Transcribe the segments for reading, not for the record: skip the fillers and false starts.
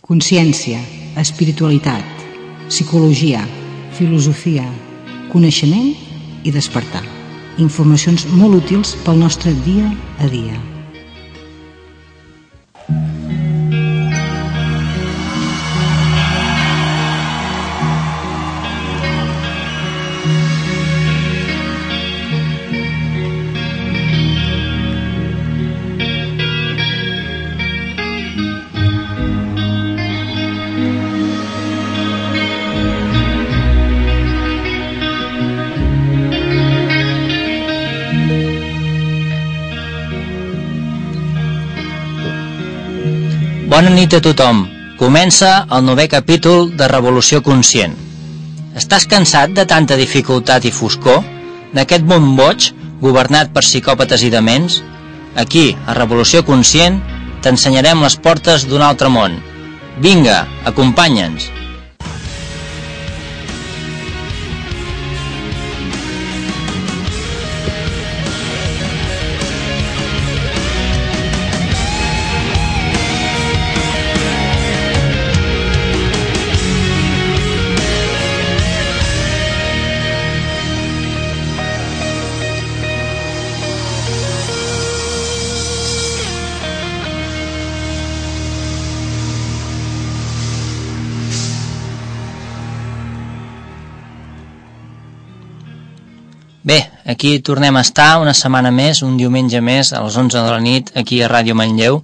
Consciència, espiritualitat, psicologia, filosofia, coneixement i despertar. Informacions molt útils pel nostre dia a dia. Bona nit a tothom. Comença el 9è capítol de Revolució Conscient. Estàs cansat de tanta dificultat i foscor? D'aquest món boig, governat per psicòpates i dements? Aquí, a Revolució Conscient, t'ensenyarem les portes d'un altre món. Vinga, acompanya'ns. Bé, aquí tornem a estar una setmana més, un diumenge més, a les 11 de la nit, aquí a Ràdio Manlleu.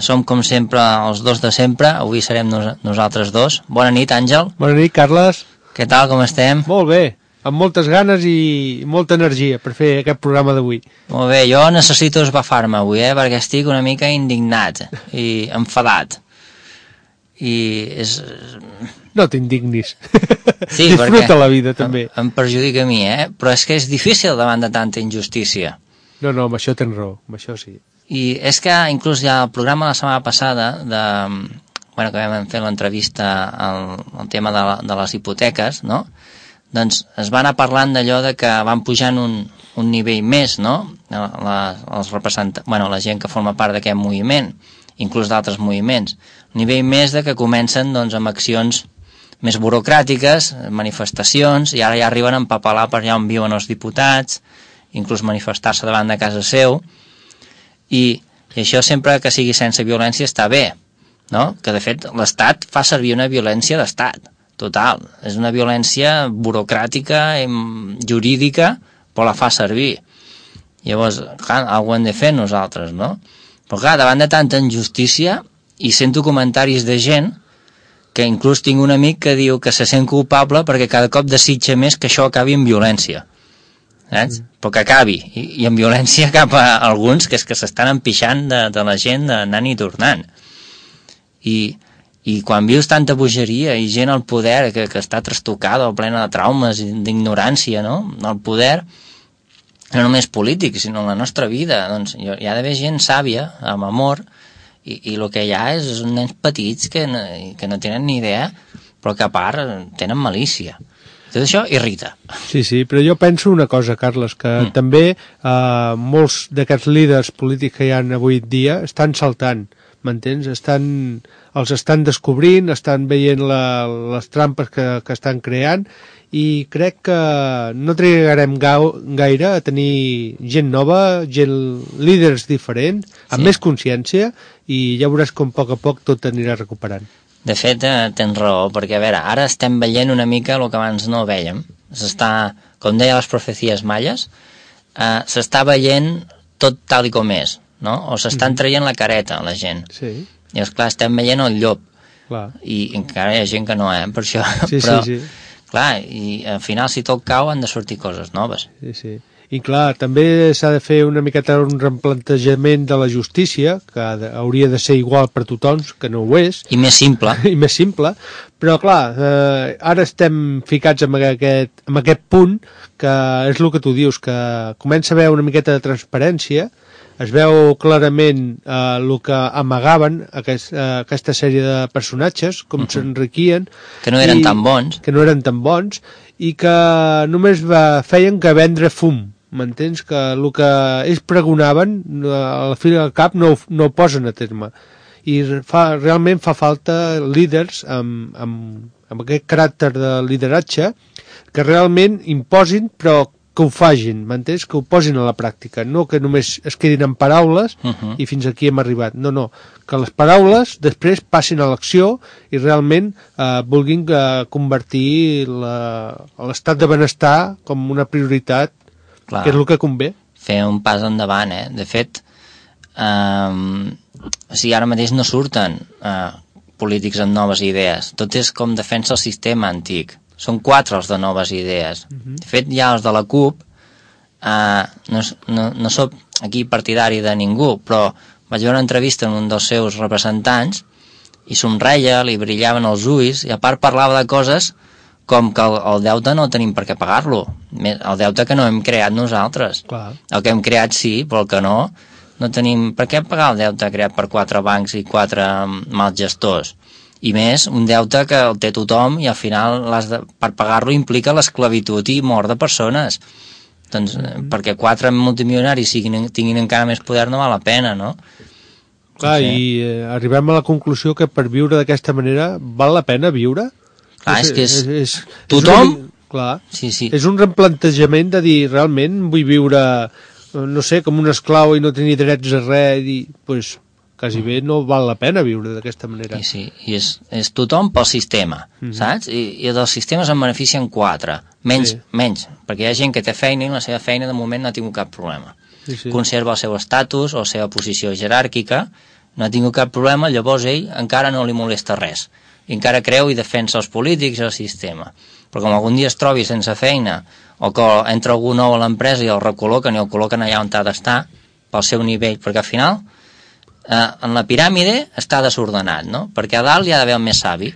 Som, com sempre, els dos de sempre. Avui serem nosaltres dos. Bona nit, Àngel. Bona nit, Carles. Què tal, com estem? Molt bé, amb moltes ganes i molta energia per fer aquest programa d'avui. Molt bé, jo necessito esbafar-me avui, perquè estic una mica indignat i enfadat. I és... No t'indignis. Sí, disfruta la vida, també. Em perjudica a mi, però és que és difícil davant de tanta injustícia. No, amb això tens raó, amb això sí. I és que inclús ja el programa la setmana passada, que vam fer l'entrevista al tema de les hipoteques, no? Doncs es va anar parlant d'allò de que van pujant un nivell més, no? Els representants, la gent que forma part d'aquest moviment, inclús d'altres moviments, un nivell més de que comencen doncs, amb accions més burocràtiques, manifestacions, i ara ja arriben a empapelar per allà on viuen els diputats, inclús manifestar-se davant de casa seu, i això sempre que sigui sense violència està bé, no? Que de fet l'Estat fa servir una violència d'Estat, total, és una violència burocràtica, jurídica, però la fa servir. Llavors, clar, alguna hem de fer nosaltres, no? Però clar, davant de tanta injustícia, i sento comentaris de gent que inclús tinc un amic que diu que se sent culpable perquè cada cop desitja més que això acabi en violència. Saps? Però que acabi, i en violència cap a alguns que és que s'estan empixant de la gent anant i tornant. I quan vius tanta bogeria i gent al poder que està trastocada o plena de traumes i d'ignorància, no? El poder, no només polític, sinó en la nostra vida, doncs hi ha d'haver gent sàvia, amb amor, i el que hi ha és nens petits que no tenen ni idea, però que a part tenen malícia. Tot això irrita. Sí, però jo penso una cosa, Carles, que també molts d'aquests líders polítics que hi ha avui dia estan saltant, m'entens? Els estan descobrint, estan veient les trampes que estan creant, i crec que no trigarem gaire a tenir gent nova, líders diferents, amb més consciència, i ja veuràs com a poc tot anirà recuperant. De fet, tens raó, perquè a veure, ara estem veient una mica el que abans no veiem. Com deia les profecies maies, s'està veient tot tal i com és, no? O s'estan traient la careta, la gent. Sí. I esclar, estem veient el llop. Clar. I encara hi ha gent que no, per això. Sí. Clar, i al final si tot cau han de sortir coses noves. Sí. I clar, també s'ha de fer una miqueta un replantejament de la justícia, que hauria de ser igual per tothom, que no ho és. I més simple. Però clar, ara estem ficats en aquest punt, que és el que tu dius, que comença a haver una miqueta de transparència, es veu clarament el que amagaven aquesta sèrie de personatges, com s'enriquien. Que no eren tan bons. I que només feien que vendre fum. M'entens? Que el que ells pregonaven, a la fi del cap, no ho posen a terme. i realment fa falta líders amb aquest caràcter de lideratge que realment imposin, però que ho fagin, m'entens? Que ho posin a la pràctica, no que només es quedin en paraules i fins aquí hem arribat. No, que les paraules després passin a l'acció i realment vulguin convertir l'estat de benestar com una prioritat, que és el que convé. Fer un pas endavant, De fet, ara mateix no surten polítics amb noves idees. Tot és com defensa el sistema antic. Són 4 els de noves idees. De fet, ja els de la CUP, no soc aquí partidari de ningú, però vaig veure una entrevista amb un dels seus representants i somreia, li brillaven els ulls, i a part parlava de coses com que el deute no tenim per què pagar-lo. El deute que no hem creat nosaltres. Clar. El que hem creat sí, però el que no tenim per què pagar el deute creat per 4 bancs i 4 mals gestors. I més, un deute que el té tothom i al final per pagar-lo implica l'esclavitud i mort de persones. Doncs perquè 4 multimilionaris tinguin encara més poder no val la pena, no? Clar, i arribem a la conclusió que per viure d'aquesta manera val la pena viure? Clar, és que és tothom... Clar, sí. És un replantejament de dir, realment vull viure, no sé, com un esclau i no tenir drets a res, i doncs... quasi bé no val la pena viure d'aquesta manera. Sí, i és tothom pel sistema, saps? I dels sistemes en beneficien 4, menys, perquè hi ha gent que té feina i la seva feina de moment no ha tingut cap problema. Sí. Conserva el seu estatus o la seva posició jeràrquica, no ha tingut cap problema, llavors ell encara no li molesta res, i encara creu i defensa els polítics i el sistema. Però com algun dia es trobi sense feina, o que entra algú nou a l'empresa i el recol·loquen i el col·loquen allà on ha d'estar, pel seu nivell, perquè al final en la piràmide està desordenat, no? Perquè a dalt hi ha d'haver el més savi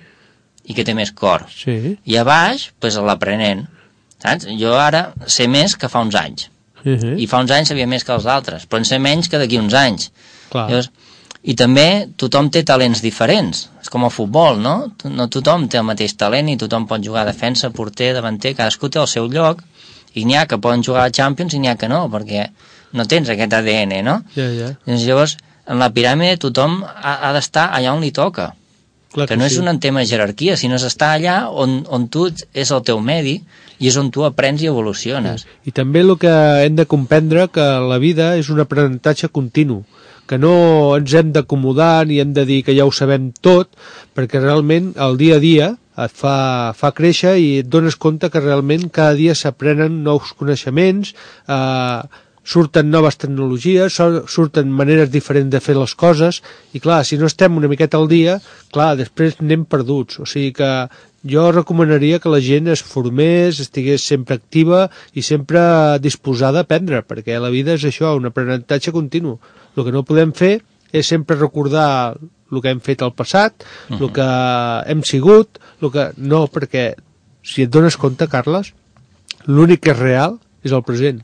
i que té més cor, i a baix l'aprenent, saps? Jo ara sé més que fa uns anys, i fa uns anys sabia més que els altres, però en sé menys que d'aquí uns anys. Llavors, i també tothom té talents diferents, és com el futbol, no? No tothom té el mateix talent i tothom pot jugar a defensa, porter, davanter, cadascú té el seu lloc, i n'hi ha que poden jugar a Champions i n'hi ha que no, perquè no tens aquest ADN, no? Llavors, en la piràmide tothom ha d'estar allà on li toca. Que no és un tema de jerarquia, sinó és estar allà on tu és el teu medi i és on tu aprens i evoluciones. I també el que hem de comprendre que la vida és un aprenentatge continu, que no ens hem d'acomodar ni hem de dir que ja ho sabem tot, perquè realment el dia a dia et fa créixer i et dones compte que realment cada dia s'aprenen nous coneixements, surten noves tecnologies, surten maneres diferents de fer les coses, i clar, si no estem una miqueta al dia, clar, després anem perduts. O sigui que jo recomanaria que la gent es formés, estigués sempre activa i sempre disposada a aprendre, perquè la vida és això, un aprenentatge continu. El que no podem fer és sempre recordar el que hem fet al passat, el que hem sigut, no, perquè si et dones compte, Carles, l'únic que és real és el present.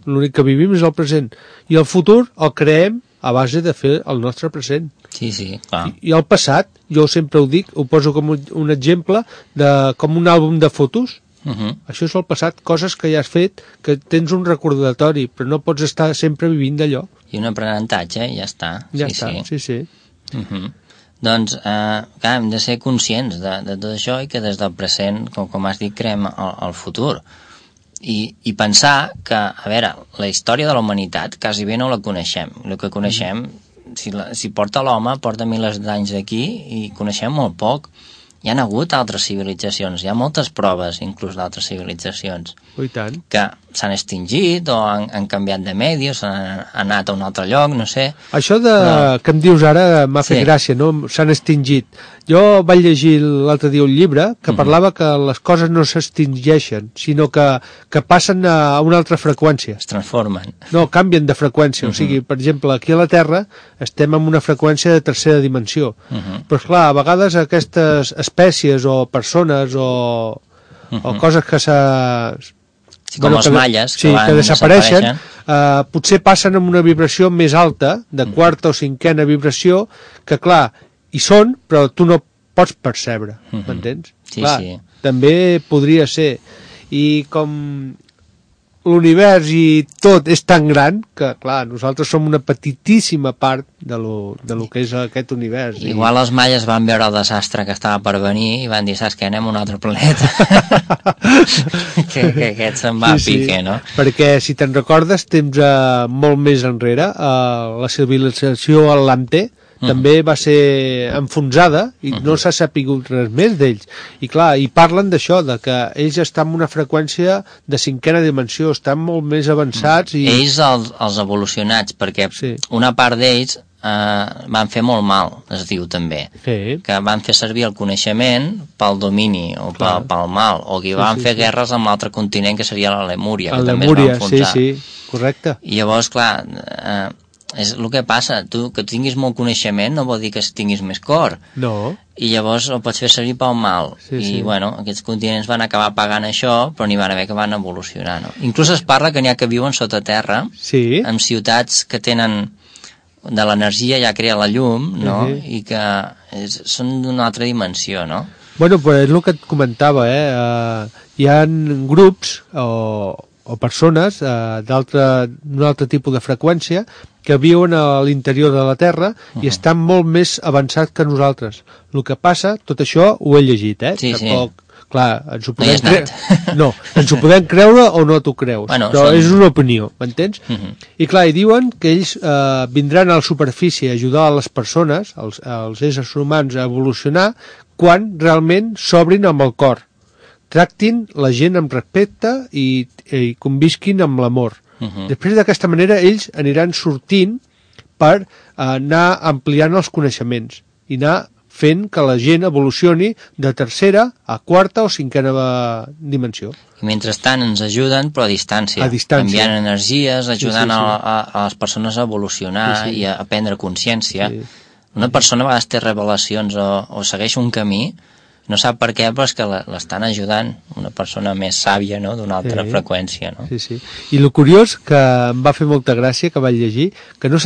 L'únic que vivim és el present, i el futur el creem a base de fer el nostre present. Sí, clar. I el passat, jo sempre ho dic, ho poso com un exemple com un àlbum de fotos. Això és el passat, coses que ja has fet, que tens un recordatori, però no pots estar sempre vivint d'allò. I un aprenentatge, ja està. Sí. Doncs, clar, hem de ser conscients de tot això i que des del present, com has dit, creem el futur. I pensar que, a veure, la història de la humanitat quasi bé no la coneixem. El que coneixem, si porta l'home, porta milers d'anys d'aquí i coneixem molt poc. Hi ha hagut altres civilitzacions, hi ha moltes proves, inclús d'altres civilitzacions, que s'han extingit o han canviat de medi o s'han anat a un altre lloc, no sé. Això que em dius ara m'ha fet gràcia, no? S'han extingit. Jo vaig llegir l'altre dia un llibre que parlava que les coses no s'extingeixen, sinó que passen a una altra freqüència. Es transformen. No, canvien de freqüència. O sigui, per exemple, aquí a la Terra estem en una freqüència de tercera dimensió. Però, esclar, a vegades aquestes espècies o persones o coses que com els malles que desapareixen, potser passen amb una vibració més alta, de quarta o cinquena vibració, que clar, hi són, però tu no pots percebre, m'entens? Sí, clar, també podria ser. I com l'univers i tot és tan gran que, clar, nosaltres som una petitíssima part de lo que és aquest univers. Igual els maies van veure el desastre que estava per venir i van dir, saps què, anem a un altre planeta. que aquest se'n va a pique, no? Perquè, si te'n recordes, temps molt més enrere, la civilització atlante també va ser enfonsada i no s'ha sapigut res més d'ells. I clar, i parlen d'això, de que ells estan en una freqüència de 5ª dimensió, estan molt més avançats. Ells, els evolucionats, perquè una part d'ells van fer molt mal, es diu també, que van fer servir el coneixement pel domini o pel mal, o que van fer guerres amb l'altre continent, que seria la Lemúria, que també es va enfonsar. Sí, correcte. I llavors, clar, és el que passa, tu que tinguis molt coneixement no vol dir que tinguis més cor. No. I llavors el pots fer servir pel mal. Bueno, aquests continents van acabar pagant això, però n'hi van haver que van evolucionar, no? Inclús es parla que n'hi ha que viuen sota terra, amb ciutats que tenen de l'energia ja crea la llum, no? I que són d'una altra dimensió, no? Bueno, però és el que et comentava, hi ha grups o persones d'un altre tipus de freqüència que viuen a l'interior de la Terra i estan molt més avançats que nosaltres. El que passa, tot això ho he llegit, Tampoc, clar, ens ho podem creure. No, ens ho podem creure o no t'ho creus. Però és una opinió, m'entens? I clar, diuen que ells vindran a la superfície a ajudar a les persones, als éssers humans, a evolucionar quan realment s'obrin amb el cor. Tractin la gent amb respecte i convisquin amb l'amor. Després d'aquesta manera ells aniran sortint per anar ampliant els coneixements i anar fent que la gent evolucioni de 3ª a 4ª o 5ª dimensió. I mentrestant ens ajuden, però a distància. Enviant energies, ajudant a les persones a evolucionar i a prendre consciència. Una persona a vegades té revelacions o segueix un camí, no sap per què, però és que l'estan ajudant una persona més sàvia, no?, d'una altra freqüència, no? I el curiós, que em va fer molta gràcia, que vaig llegir, que no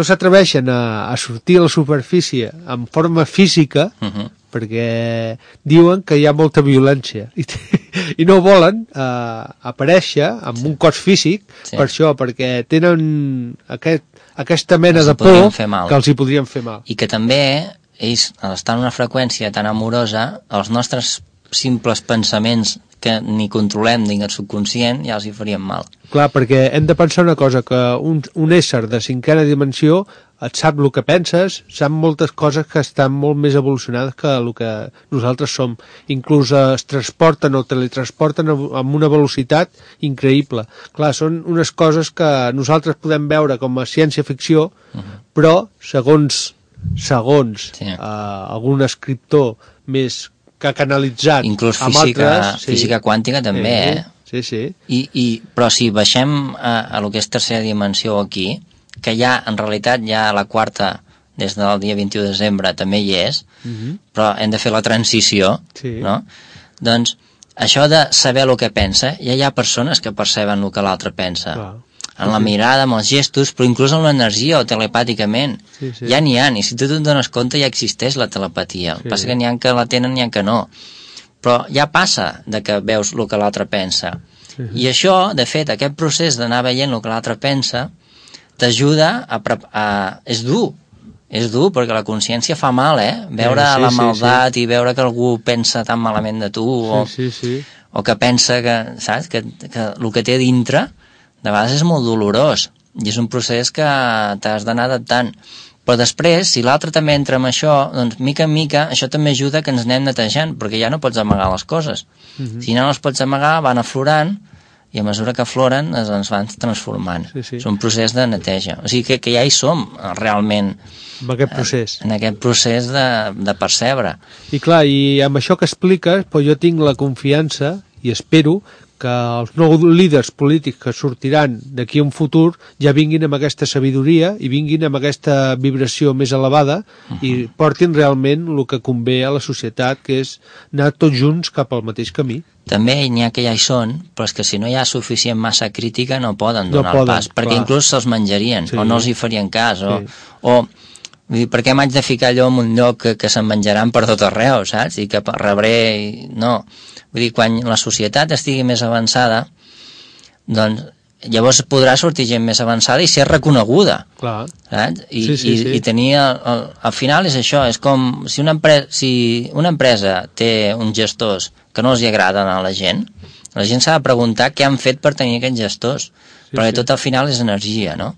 s'atreveixen a sortir a la superfície en forma física, perquè diuen que hi ha molta violència i no volen aparèixer amb un cos físic per això, perquè tenen aquesta mena de por que els hi podrien fer mal. I que també ells, al estar en una freqüència tan amorosa, els nostres simples pensaments que ni controlem ni el subconscient ja els hi farien mal. Clar, perquè hem de pensar una cosa, que un ésser de 5ª dimensió et sap el que penses, sap moltes coses que estan molt més evolucionades que el que nosaltres som. Inclús es transporten o teletransporten amb una velocitat increïble. Clar, són unes coses que nosaltres podem veure com a ciència-ficció, però segons algun escriptor més que ha canalitzat inclús física quàntica també, però si baixem a lo que és 3ª dimensió aquí, que ja en realitat ja la 4ª des del dia 21 de desembre també hi és, però hem de fer la transició, no? Doncs això de saber el que pensa, ja hi ha persones que perceben el que l'altre pensa. En la mirada, amb els gestos, però inclús en l'energia o telepàticament. Ja n'hi ha, i si tu te'n dones compte ja existeix la telepatia. El que passa que n'hi ha que la tenen, n'hi ha que no. Però ja passa de que veus el que l'altre pensa. I això, de fet, aquest procés d'anar veient el que l'altre pensa, t'ajuda a... És dur, perquè la consciència fa mal, veure la maldat i veure que algú pensa tan malament de tu, o que pensa que, saps, que el que té dintre de vegades és molt dolorós i és un procés que t'has d'anar adaptant, però després, si l'altre també entra en això, doncs mica en mica això també ajuda que ens anem netejant, perquè ja no pots amagar les coses. Si no les pots amagar, van aflorant i a mesura que afloren ens van transformant. És un procés de neteja, o sigui que ja hi som realment en aquest procés, de percebre. I clar, i amb això que expliques, però jo tinc la confiança i espero que els nous líders polítics que sortiran d'aquí a un futur ja vinguin amb aquesta sabidoria i vinguin amb aquesta vibració més elevada i portin realment el que convé a la societat, que és anar tots junts cap al mateix camí. També n'hi ha que ja hi són, però és que si no hi ha suficient massa crítica no poden donar el pas, perquè inclús se'ls menjarien o no els hi farien cas, o Vull dir, per què m'haig de ficar allò en un lloc que se'n menjaran per tot arreu, saps? I que rebré... No. Vull dir, quan la societat estigui més avançada, doncs llavors podrà sortir gent més avançada i ser reconeguda. Clar. Saps? Sí. I tenir... Al final és això, és com si una empresa té uns gestors que no els hi agraden a la gent s'ha de preguntar què han fet per tenir aquests gestors. Perquè tot al final és energia, no?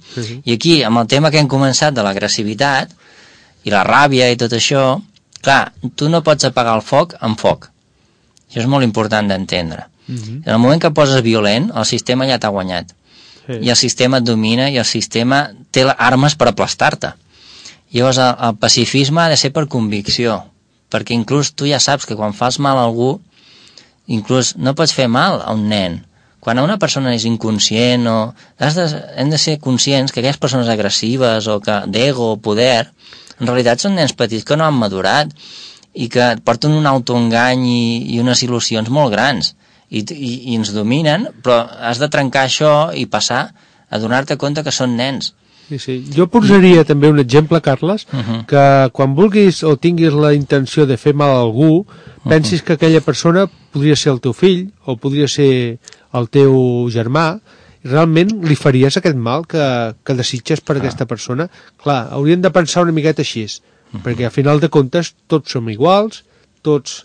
I aquí, amb el tema que hem començat de l'agressivitat i la ràbia i tot això, clar, tu no pots apagar el foc amb foc. Això és molt important d'entendre. En el moment que poses violent, el sistema ja t'ha guanyat. I el sistema et domina i el sistema té armes per aplastar-te. Llavors, el pacifisme ha de ser per convicció, perquè inclús tu ja saps que quan fas mal a algú, inclús no pots fer mal a un nen. Quan una persona és inconscient hem de ser conscients que aquelles persones agressives o d'ego o poder en realitat són nens petits que no han madurat i que porten un autoengany i unes il·lusions molt grans i ens dominen, però has de trencar això i passar a donar-te compte que són nens. Sí. Jo posaria també un exemple, Carles, que quan vulguis o tinguis la intenció de fer mal a algú, pensis que aquella persona podria ser el teu fill o podria ser el teu germà, i realment li faries aquest mal que desitges per aquesta persona. Clar, hauríem de pensar una miqueta així, perquè a final de comptes tots som iguals, tots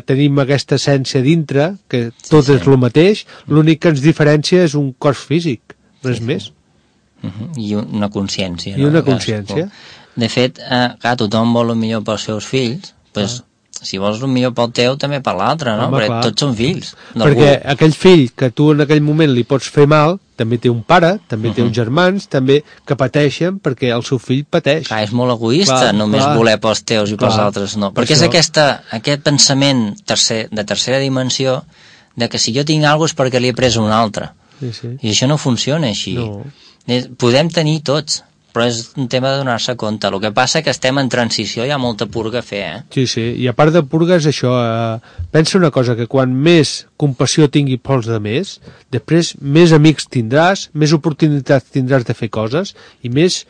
tenim aquesta essència dintre, que tot és el mateix, l'únic que ens diferencia és un cos físic, res més. I una consciència. I una consciència. De fet, clar, tothom vol el millor pels seus fills, doncs si vols el millor pel teu, també per l'altre, no? Perquè tots són fills. Perquè aquell fill que tu en aquell moment li pots fer mal, també té un pare, també té uns germans, també que pateixen perquè el seu fill pateix. Clar, és molt egoista només voler pels teus i pels altres no. Perquè és aquest pensament de tercera dimensió de que si jo tinc alguna cosa és perquè li he pres un altre. I això no funciona així. Podem tenir tots, però és un tema de donar-se compte. El que passa que estem en transició, hi ha molta purga a fer, Sí, i a part de purga és això, pensa una cosa, que quan més compassió tingui pels de més, després més amics tindràs, més oportunitats tindràs de fer coses, i més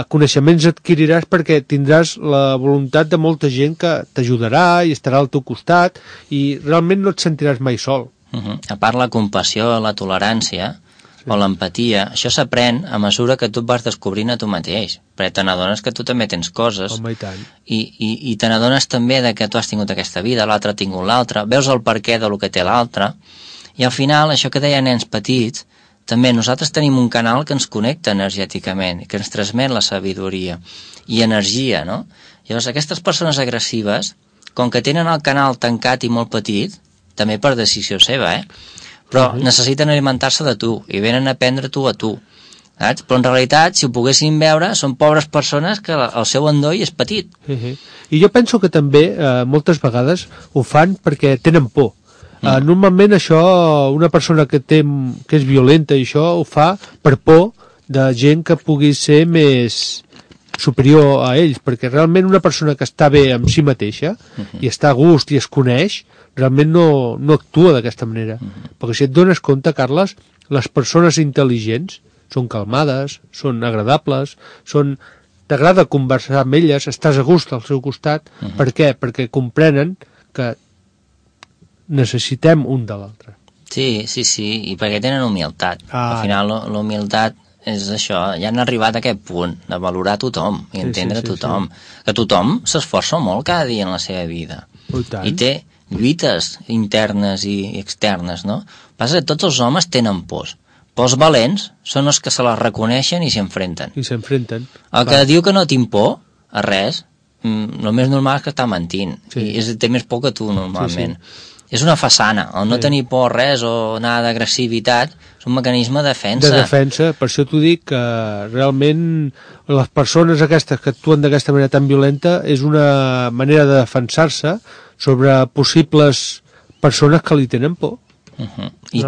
coneixements adquiriràs perquè tindràs la voluntat de molta gent que t'ajudarà i estarà al teu costat, i realment no et sentiràs mai sol. A part la compassió, la tolerància, o l'empatia, això s'aprèn a mesura que tu et vas descobrint a tu mateix, perquè te n'adones que tu també tens coses. Home, i tant. I te n'adones també de que tu has tingut aquesta vida, l'altre ha tingut l'altra, veus el perquè del que té l'altre, i al final, això que deia nens petits, també nosaltres tenim un canal que ens connecta energèticament, que ens transmet la sabidoria i energia, no? Llavors, aquestes persones agressives, com que tenen el canal tancat i molt petit, també per decisió seva, però necessiten alimentar-se de tu i venen a prendre tu a tu, saps? Però en realitat, si ho poguessin veure, són pobres persones que el seu endoll és petit. I jo penso que també moltes vegades ho fan perquè tenen por. Normalment això, una persona que és violenta i això ho fa per por de gent que pugui ser més superior a ells, perquè realment una persona que està bé amb si mateixa i està a gust i es coneix, realment no actua d'aquesta manera. Perquè si et dones compte, Carles, les persones intel·ligents són calmades, són agradables, t'agrada conversar amb elles, estàs a gust al seu costat. Per què? Perquè comprenen que necessitem un de l'altre. Sí, i perquè tenen humilitat. Al final, l'humilitat és això, ja han arribat a aquest punt de valorar tothom i entendre tothom. Que tothom s'esforça molt cada dia en la seva vida. I té lluites internes i externes, no? Passa que tots els homes tenen pors. Pors valents són els que se les reconeixen i s'enfrenten. El que diu que no tinc por a res, el més normal és que està mentint. I té més por que tu, normalment. És una façana. El no tenir por a res o anar d'agressivitat és un mecanisme de defensa. De defensa, per això t'ho dic, que realment les persones aquestes que actuen d'aquesta manera tan violenta és una manera de defensar-se sobre possibles persones que li tenen por. I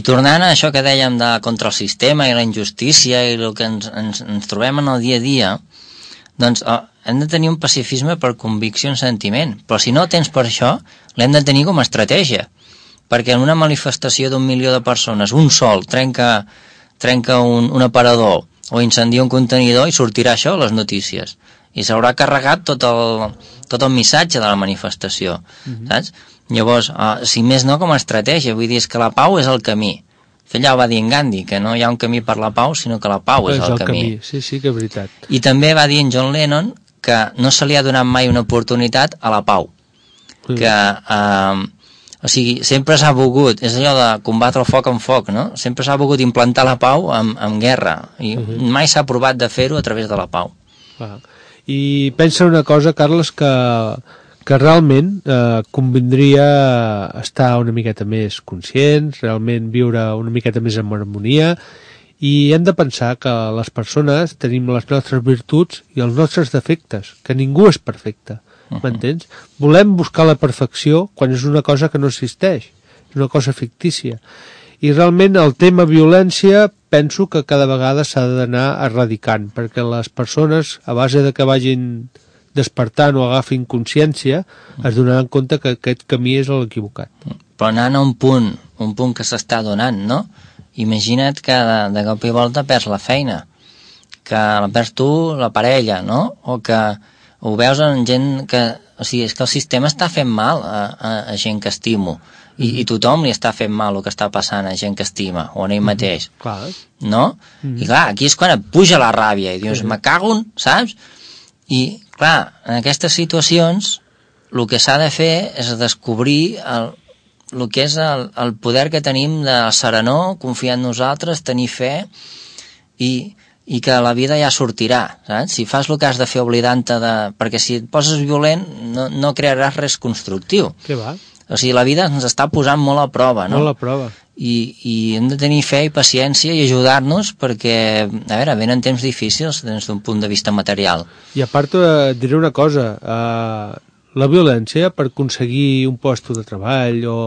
tornant a això que dèiem contra el sistema i la injustícia i el que ens trobem en el dia a dia, doncs hem de tenir un pacifisme per convicció en sentiment, però si no tens per això, l'hem de tenir com a estratègia, perquè en una manifestació d'1 milió de persones, un sol trenca un aparador o incendia un contenidor i sortirà això a les notícies. I s'haurà carregat tot el missatge de la manifestació, saps? Llavors, si més no com a estratègia, vull dir, és que la pau és el camí. Ja ho va dir en Gandhi, que no hi ha un camí per la pau, sinó que la pau és el camí. Sí, que és veritat. I també va dir en John Lennon que no se li ha donat mai una oportunitat a la pau. Que, o sigui, sempre s'ha volgut, és allò de combatre el foc amb foc, no? Sempre s'ha volgut implantar la pau amb guerra, i mai s'ha provat de fer-ho a través de la pau. I pensa una cosa, Carles, que realment convindria estar una miqueta més conscients, realment viure una miqueta més en harmonia, i hem de pensar que les persones tenim les nostres virtuts i els nostres defectes, que ningú és perfecte, m'entens? Volem buscar la perfecció quan és una cosa que no existeix, és una cosa fictícia. I realment el tema violència penso que cada vegada s'ha d'anar erradicant, perquè les persones, a base de que vagin despertant o agafin consciència, es donaran compte que aquest camí és l'equivocat. Però anant a un punt que s'està donant, no? Imagina't que de cop i volta perds la feina, que la perds tu, la parella, no? O que ho veus en gent que... O sigui, és que el sistema està fent mal a gent que estimo, i tothom li està fent mal el que està passant a gent que estima, o a ell mateix, no? I clar, aquí és quan et puja la ràbia, i dius, me cago en, saps? I clar, en aquestes situacions el que s'ha de fer és descobrir el que és el poder que tenim de serenor, confiar en nosaltres, tenir fe, i que la vida ja sortirà, saps? Si fas el que has de fer oblidant-te de... Perquè si et poses violent no crearàs res constructiu. Què va? O sigui, la vida ens està posant molt a prova, no? Molt a prova. I hem de tenir fe i paciència i ajudar-nos perquè, a veure, venen temps difícils des d'un punt de vista material. I a part et diré una cosa, la violència per aconseguir un lloc de treball o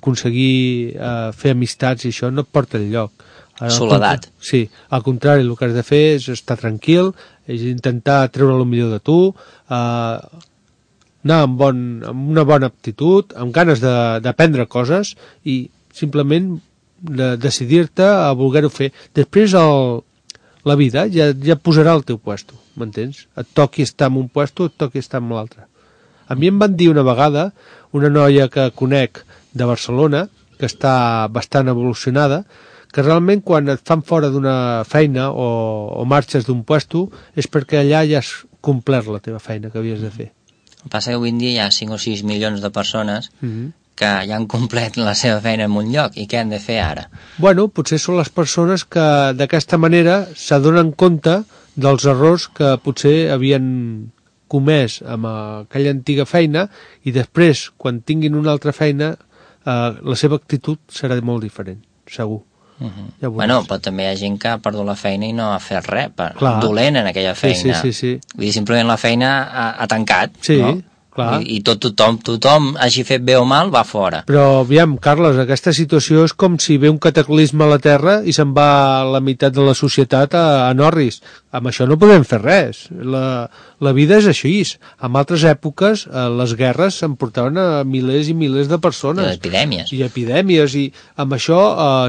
aconseguir fer amistats i això no et porta enlloc. Soledat. Sí, al contrari, el que has de fer és estar tranquil, és intentar treure el millor de tu, anar amb una bona aptitud, amb ganes d'aprendre coses i simplement decidir-te a voler-ho fer. Després la vida ja posarà el teu puesto, m'entens? Et toqui estar en un puesto, et toqui estar en l'altre. A mi em van dir una vegada, una noia que conec de Barcelona, que està bastant evolucionada, que realment quan et fan fora d'una feina o marxes d'un puesto és perquè allà ja has complert la teva feina que havies de fer. El que passa que avui en dia hi ha 5 o 6 milions de persones que ja han complet la seva feina en un lloc, i què han de fer ara? Bueno, potser són les persones que d'aquesta manera s'adonen compte dels errors que potser havien comès amb aquella antiga feina i després, quan tinguin una altra feina, la seva actitud serà molt diferent, segur. Ja bueno, però també hi ha gent que ha perdut la feina i no ha fet res, dolent en aquella feina. Sí. Vull dir, simplement la feina ha tancat, no? Clar. I tothom hagi fet bé o mal, va fora. Però, aviam, Carles, aquesta situació és com si ve un cataclisme a la Terra i se'n va la meitat de la societat a Norris. Amb això no podem fer res. La vida és així. En altres èpoques, les guerres s'emportaven a milers i milers de persones. I epidèmies. I amb això,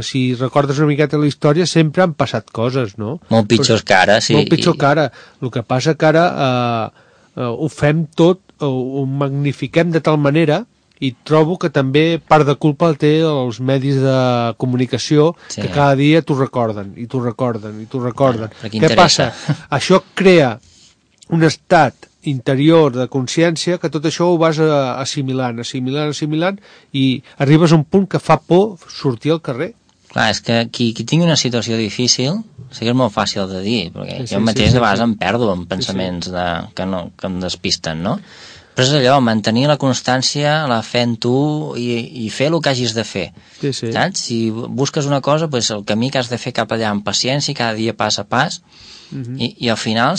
si recordes una miqueta la història, sempre han passat coses, no? Molt pitjors que ara, sí. Molt pitjor que ara. El que passa que ara ho fem tot, ho magnifiquem de tal manera, i trobo que també part de culpa té els medis de comunicació que cada dia t'ho recorden, i t'ho recorden, i t'ho recorden. Què passa? Això crea un estat interior de consciència que tot això ho vas assimilant, i arribes a un punt que fa por sortir al carrer. Clar, és que qui tingui una situació difícil, sí que és molt fàcil de dir, perquè jo mateix de vegades em perdo en pensaments que em despisten, no? Però és allò, mantenir la constància, la fe en tu i fer el que hagis de fer. Saps? Si busques una cosa, doncs el camí que has de fer cap allà amb paciència, cada dia pas a pas, i al final,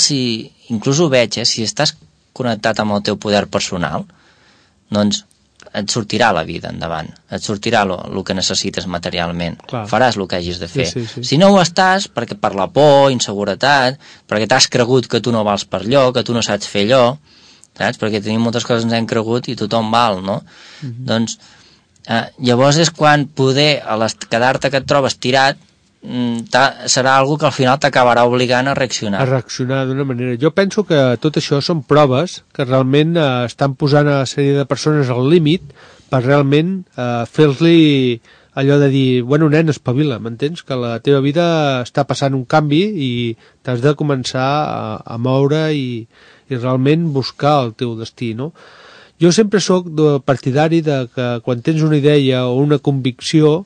inclús ho veig, si estàs connectat amb el teu poder personal, doncs et sortirà la vida endavant, et sortirà el que necessites materialment. Clar. Faràs el que hagis de fer. Si no ho estàs, perquè per la por, inseguretat, perquè t'has cregut que tu no vals per allò, que tu no saps fer allò, saps? Perquè tenim moltes coses que ens hem cregut i tothom val, no? Doncs llavors és quan poder, quedar-te que et trobes tirat, serà algo que al final t'acabarà obligant a reaccionar. A reaccionar d'una manera. Jo penso que tot això són proves que realment estan posant a la sèrie de persones al límit per realment fer-li allò de dir, bueno, nen, espavila, m'entens? Que la teva vida està passant un canvi i t'has de començar a moure i realment buscar el teu destí, no? Jo sempre sóc partidari de que quan tens una idea o una convicció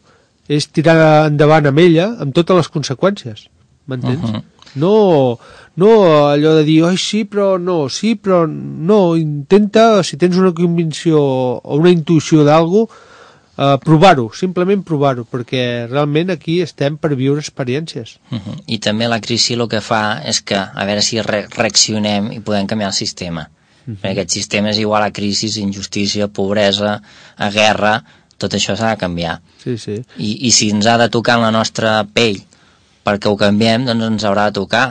és tirar endavant amb ella amb totes les conseqüències, m'entens? No allò de dir, oi, sí, però no, intenta, si tens una convicció o una intuïció d'algú, provar-ho, simplement provar-ho, perquè realment aquí estem per viure experiències. I també la crisi el que fa és que, a veure si reaccionem i podem canviar el sistema. Perquè aquest sistema és igual a crisi, injustícia, pobresa, a guerra, tot això s'ha de canviar. Sí, sí. I si ens ha de tocar en la nostra pell perquè ho canviem, doncs ens haurà de tocar.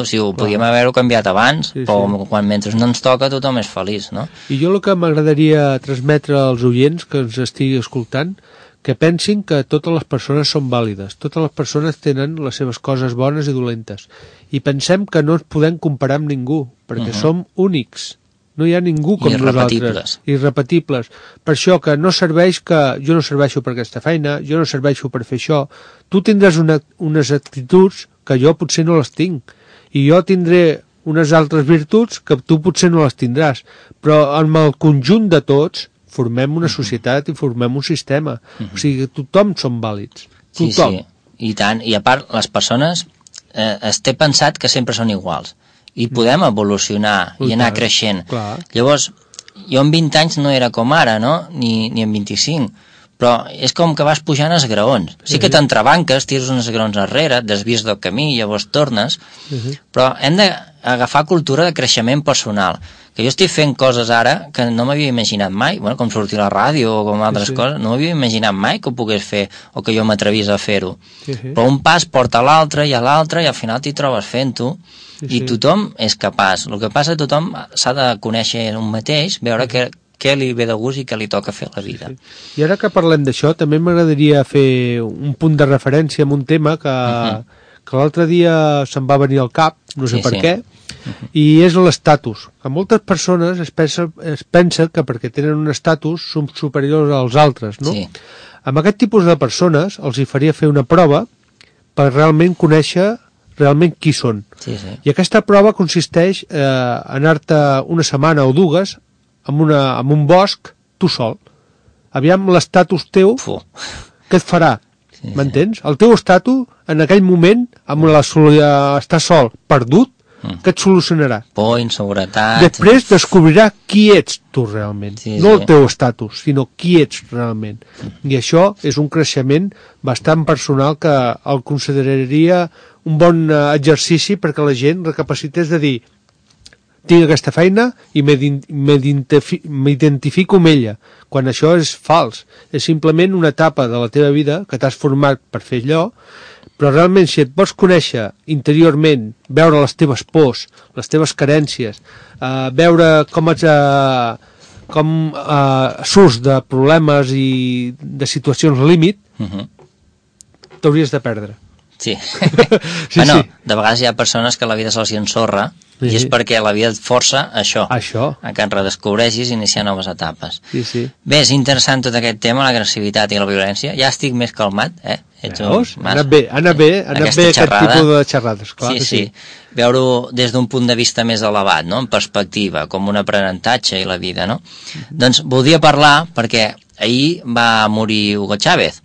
Si ho podíem haver-ho canviat abans, però mentre no ens toca tothom és feliç, no? I jo el que m'agradaria transmetre als oients que ens estigui escoltant, que pensin que totes les persones són vàlides, totes les persones tenen les seves coses bones i dolentes, i pensem que no ens podem comparar amb ningú, perquè som únics. No hi ha ningú com nosaltres. Irrepetibles. Per això que no serveix que jo no serveixo per aquesta feina, jo no serveixo per fer això. Tu tindràs unes actituds que jo potser no les tinc. I jo tindré unes altres virtuts que tu potser no les tindràs. Però amb el conjunt de tots formem una societat i formem un sistema. O sigui, tothom som vàlids. Tothom. Sí, i tant. I a part, les persones es té pensat que sempre són iguals. I podem evolucionar i anar creixent. Clar. Llavors, jo amb 20 anys no era com ara, no? Ni amb 25. Però és com que vas pujant esgraons. Sí que t'entrebanques, tires uns esgraons enrere, et desvies del camí, llavors tornes, però hem d'agafar cultura de creixement personal. Que jo estic fent coses ara que no m'havia imaginat mai, bueno, com sortir a la ràdio o com altres coses, no m'havia imaginat mai que ho pogués fer o que jo m'atrevís a fer-ho. Però un pas porta a l'altre i al final t'hi trobes fent-ho. I tothom és capaç. El que passa que tothom s'ha de conèixer un mateix, veure què li ve de gust i què li toca fer a la vida. I ara que parlem d'això, també m'agradaria fer un punt de referència amb un tema que l'altre dia se'm va venir al cap, no sé per què, i és l'estatus. Que moltes persones es pensa que perquè tenen un estatus són superiors als altres, no? Amb aquest tipus de persones els hi faria fer una prova per realment conèixer realment qui són. I aquesta prova consisteix en anar-te una setmana o dues en un bosc, tu sol. Aviam l'estatus teu, què et farà? M'entens? El teu estatus, en aquell moment, amb estar sol, perdut, què et solucionarà? Por, inseguretat... Després descobrirà qui ets tu realment. No el teu estatus, sinó qui ets realment. I això és un creixement bastant personal que el consideraria un bon exercici perquè la gent recapacités de dir tinc aquesta feina i m'identifico amb ella, quan això és fals. És simplement una etapa de la teva vida que t'has format per fer allò, però realment si et pots conèixer interiorment, veure les teves pors, les teves carències, veure com surts de problemes i de situacions límit, t'hauries de perdre. Sí. Bueno, de vegades hi ha persones que la vida se'ls ensorra i és perquè la vida et força això. A que et redescobreixis i iniciar noves etapes. Bé, és interessant tot aquest tema, l'agressivitat i la violència. Ja estic més calmat, Veus? Ha anat bé aquest tipus de xerrades. Sí. Veure-ho des d'un punt de vista més elevat, no? En perspectiva, com un aprenentatge i la vida, no? Doncs voldria parlar, perquè ahir va morir Hugo Chávez,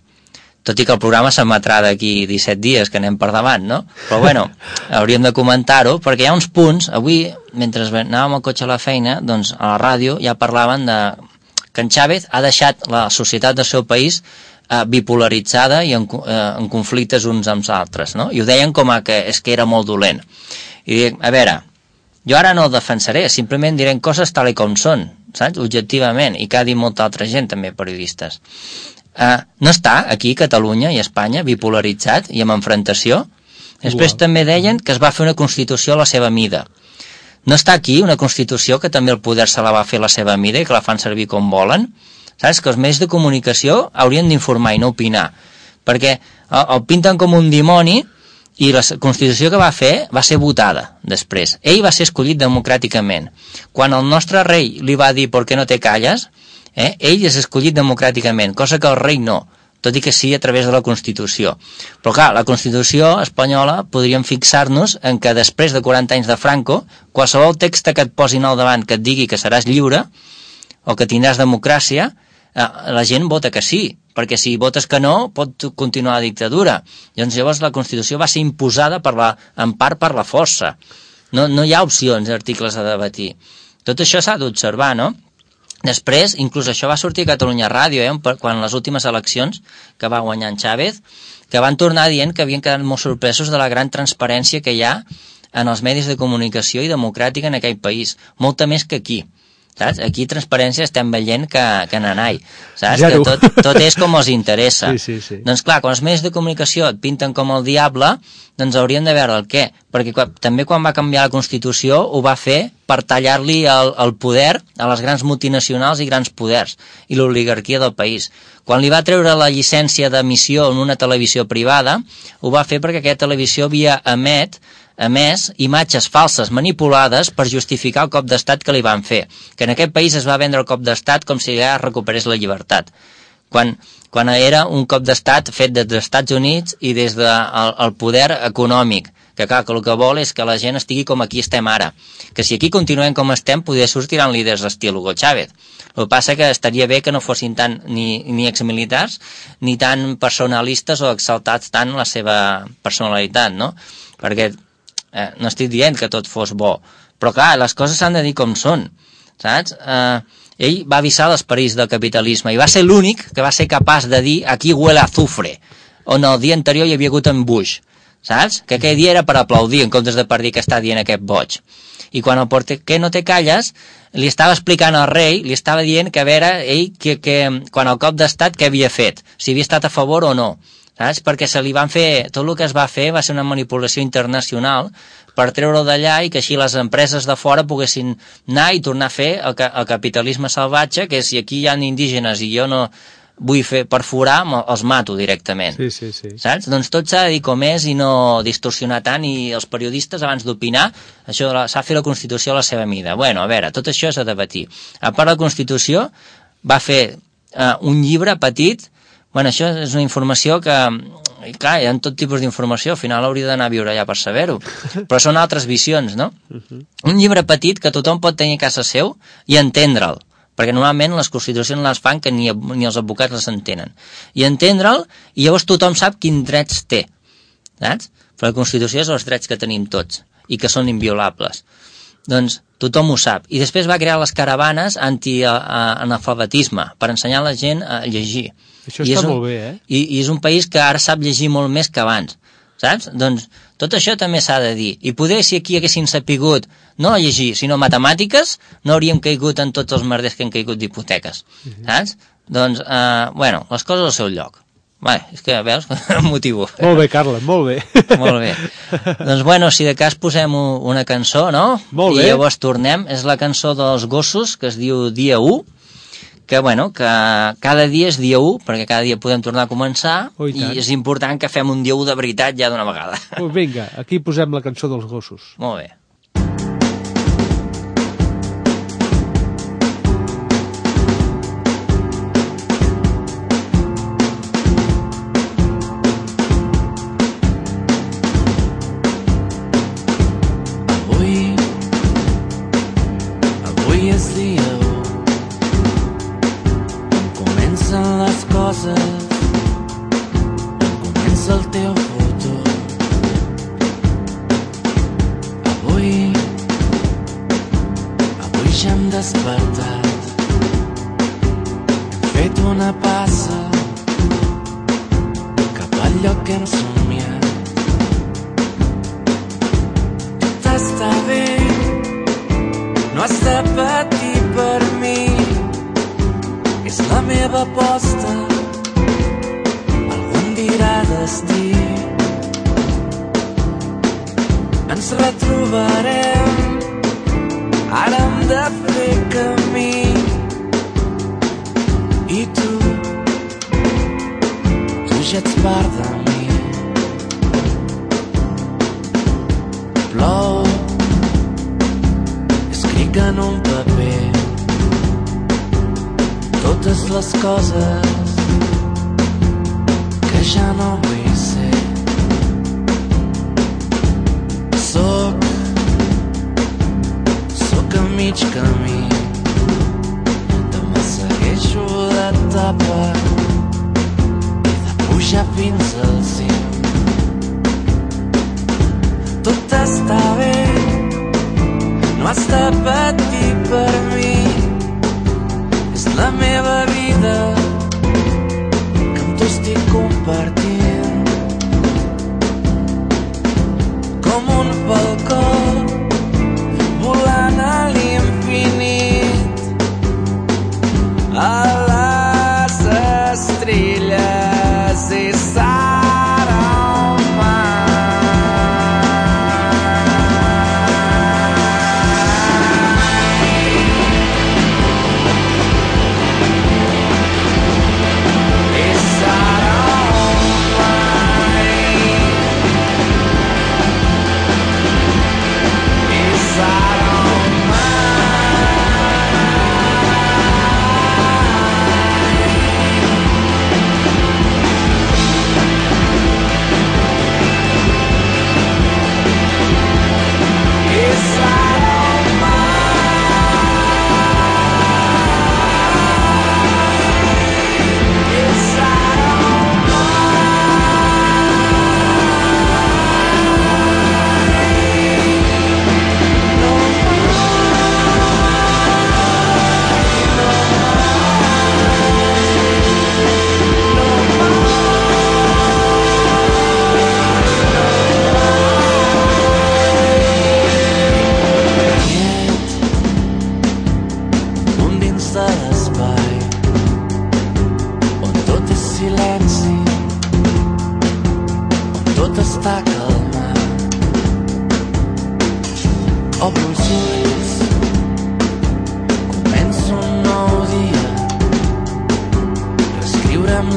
tot i que el programa s'emetrà d'aquí 17 dies que anem per davant, no? Però bueno, hauríem de comentar-ho, perquè hi ha uns punts, avui, mentre anàvem al cotxe a la feina, doncs a la ràdio ja parlaven de que en Chávez ha deixat la societat del seu país bipolaritzada i en conflictes uns amb els altres, no? I ho deien com que és que era molt dolent. I dic, a veure, jo ara no el defensaré, simplement diré coses tal com són, saps? Objectivament, i que ha dit molta altra gent, també periodistes. No està aquí Catalunya i Espanya bipolaritzat i amb enfrontació? Després també deien que es va fer una Constitució a la seva mida. No està aquí una Constitució que també el poder se la va fer a la seva mida i que la fan servir com volen? Saps? Que els mitjans de comunicació haurien d'informar i no opinar. perquè el pinten com un dimoni i la Constitució que va fer va ser votada després. Ell va ser escollit democràticament. Quan el nostre rei li va dir «por qué no te calles?», ell és escollit democràticament, cosa que el rei no, tot i que sí a través de la Constitució. Però clar, la Constitució espanyola podríem fixar-nos en que després de 40 anys de Franco, qualsevol text que et posin al davant que et digui que seràs lliure o que tindràs democràcia, la gent vota que sí, perquè si votes que no pot continuar la dictadura. Llavors la Constitució va ser imposada en part per la força. No hi ha opcions d'articles a debatir. Tot això s'ha d'observar, no? Després, inclús això va sortir a Catalunya Ràdio, quan les últimes eleccions que va guanyar en Chávez, que van tornar dient que havien quedat molt sorpresos de la gran transparència que hi ha en els medis de comunicació i democràtica en aquell país, molta més que aquí. Saps? Aquí transparència estem veient que nanai, saps? Zero. Que tot és com els interessa. Sí. Doncs clar, quan els medis de comunicació et pinten com el diable, doncs haurien de veure el què, perquè també quan va canviar la Constitució ho va fer per tallar-li el poder a les grans multinacionals i grans poders i l'oligarquia del país. Quan li va treure la llicència d'emissió en una televisió privada, ho va fer perquè aquella televisió havia emès imatges falses manipulades per justificar el cop d'estat que li van fer, que en aquest país es va vendre el cop d'estat com si ja recuperés la llibertat, quan era un cop d'estat fet des dels Estats Units i des del poder econòmic, que clar, que el que vol és que la gent estigui com aquí estem ara, que si aquí continuem com estem potser sortiran líders estil Hugo Chávez. El que passa que estaria bé que no fossin tant ni exmilitars ni tan personalistes o exaltats tant la seva personalitat, no? Perquè no estic dient que tot fos bo, però clar, les coses s'han de dir com són, saps? Ell va avisar dels perills del capitalisme i va ser l'únic que va ser capaç de dir aquí huele a azufre, on el dia anterior hi havia hagut en Bush, saps? Que aquell dia era per aplaudir en comptes de per dir que està dient aquest boig. I quan el «por qué no te calles?» li estava explicant al rei, li estava dient que a veure ell que quan el cop d'estat què havia fet, si havia estat a favor o no, saps? Perquè se li van fer, tot el que es va fer va ser una manipulació internacional per treure-ho d'allà i que així les empreses de fora poguessin anar i tornar a fer el capitalisme salvatge, que si aquí hi ha indígenes i jo no vull fer perforar, els mato directament. Sí. Saps? Doncs tot s'ha de dir com és i no distorsionar tant, i els periodistes abans d'opinar, això s'ha de fer la Constitució a la seva mida. Bueno, a veure, tot això és a debatir. A part de la Constitució, va fer un llibre petit. Bueno, això és una informació que, clar, hi ha tot tipus d'informació, al final hauria d'anar a viure allà per saber-ho, però són altres visions, no? Un llibre petit que tothom pot tenir a casa seu i entendre'l, perquè normalment les constitucions les fan que ni els advocats les entenen, i entendre'l, i llavors tothom sap quins drets té, saps? Però la Constitució és els drets que tenim tots i que són inviolables. Doncs tothom ho sap. I després va crear les caravanes anti-analfabetisme per ensenyar a la gent a llegir. Això està molt bé, eh? I és un país que ara sap llegir molt més que abans, saps? Doncs tot això també s'ha de dir. I poder, si aquí haguessin sapigut no a llegir, sinó matemàtiques, no hauríem caigut en tots els merders que han caigut d'hipoteques, saps? Doncs, bueno, les coses al seu lloc. Bé, és que, veus, em motivo. Molt bé, Carles, molt bé. Molt bé. Doncs, bueno, si de cas posem una cançó, no? Molt bé. I llavors tornem. És la cançó dels gossos, que es diu Dia 1, que, bueno, que cada dia és dia 1, perquè cada dia podem tornar a començar, i és important que fem un dia 1 de veritat ja d'una vegada. Pues vinga, aquí posem la cançó dels gossos. Molt bé. Avui és dia 1, comencen les coses, comença el teu futur. Avui ja hem despertat, hem fet una passa cap al lloc que hem somiat. Tot està bé, no has de patir per mi, és la meva aposta, algú em dirà destí. Ens retrobarem, ara hem de fer camí, i tu ja ets part de mi. Plou, escric en un paper totes les coses que ja no vull ser. Soc a mig camí, demà segueixo d'etapa i de pujar fins al cim. Tot està bé, no has de patir per mi, és la meva vida que amb tu estic compartint. Com un falcó volant a l'infinit, a les estrelles i serà un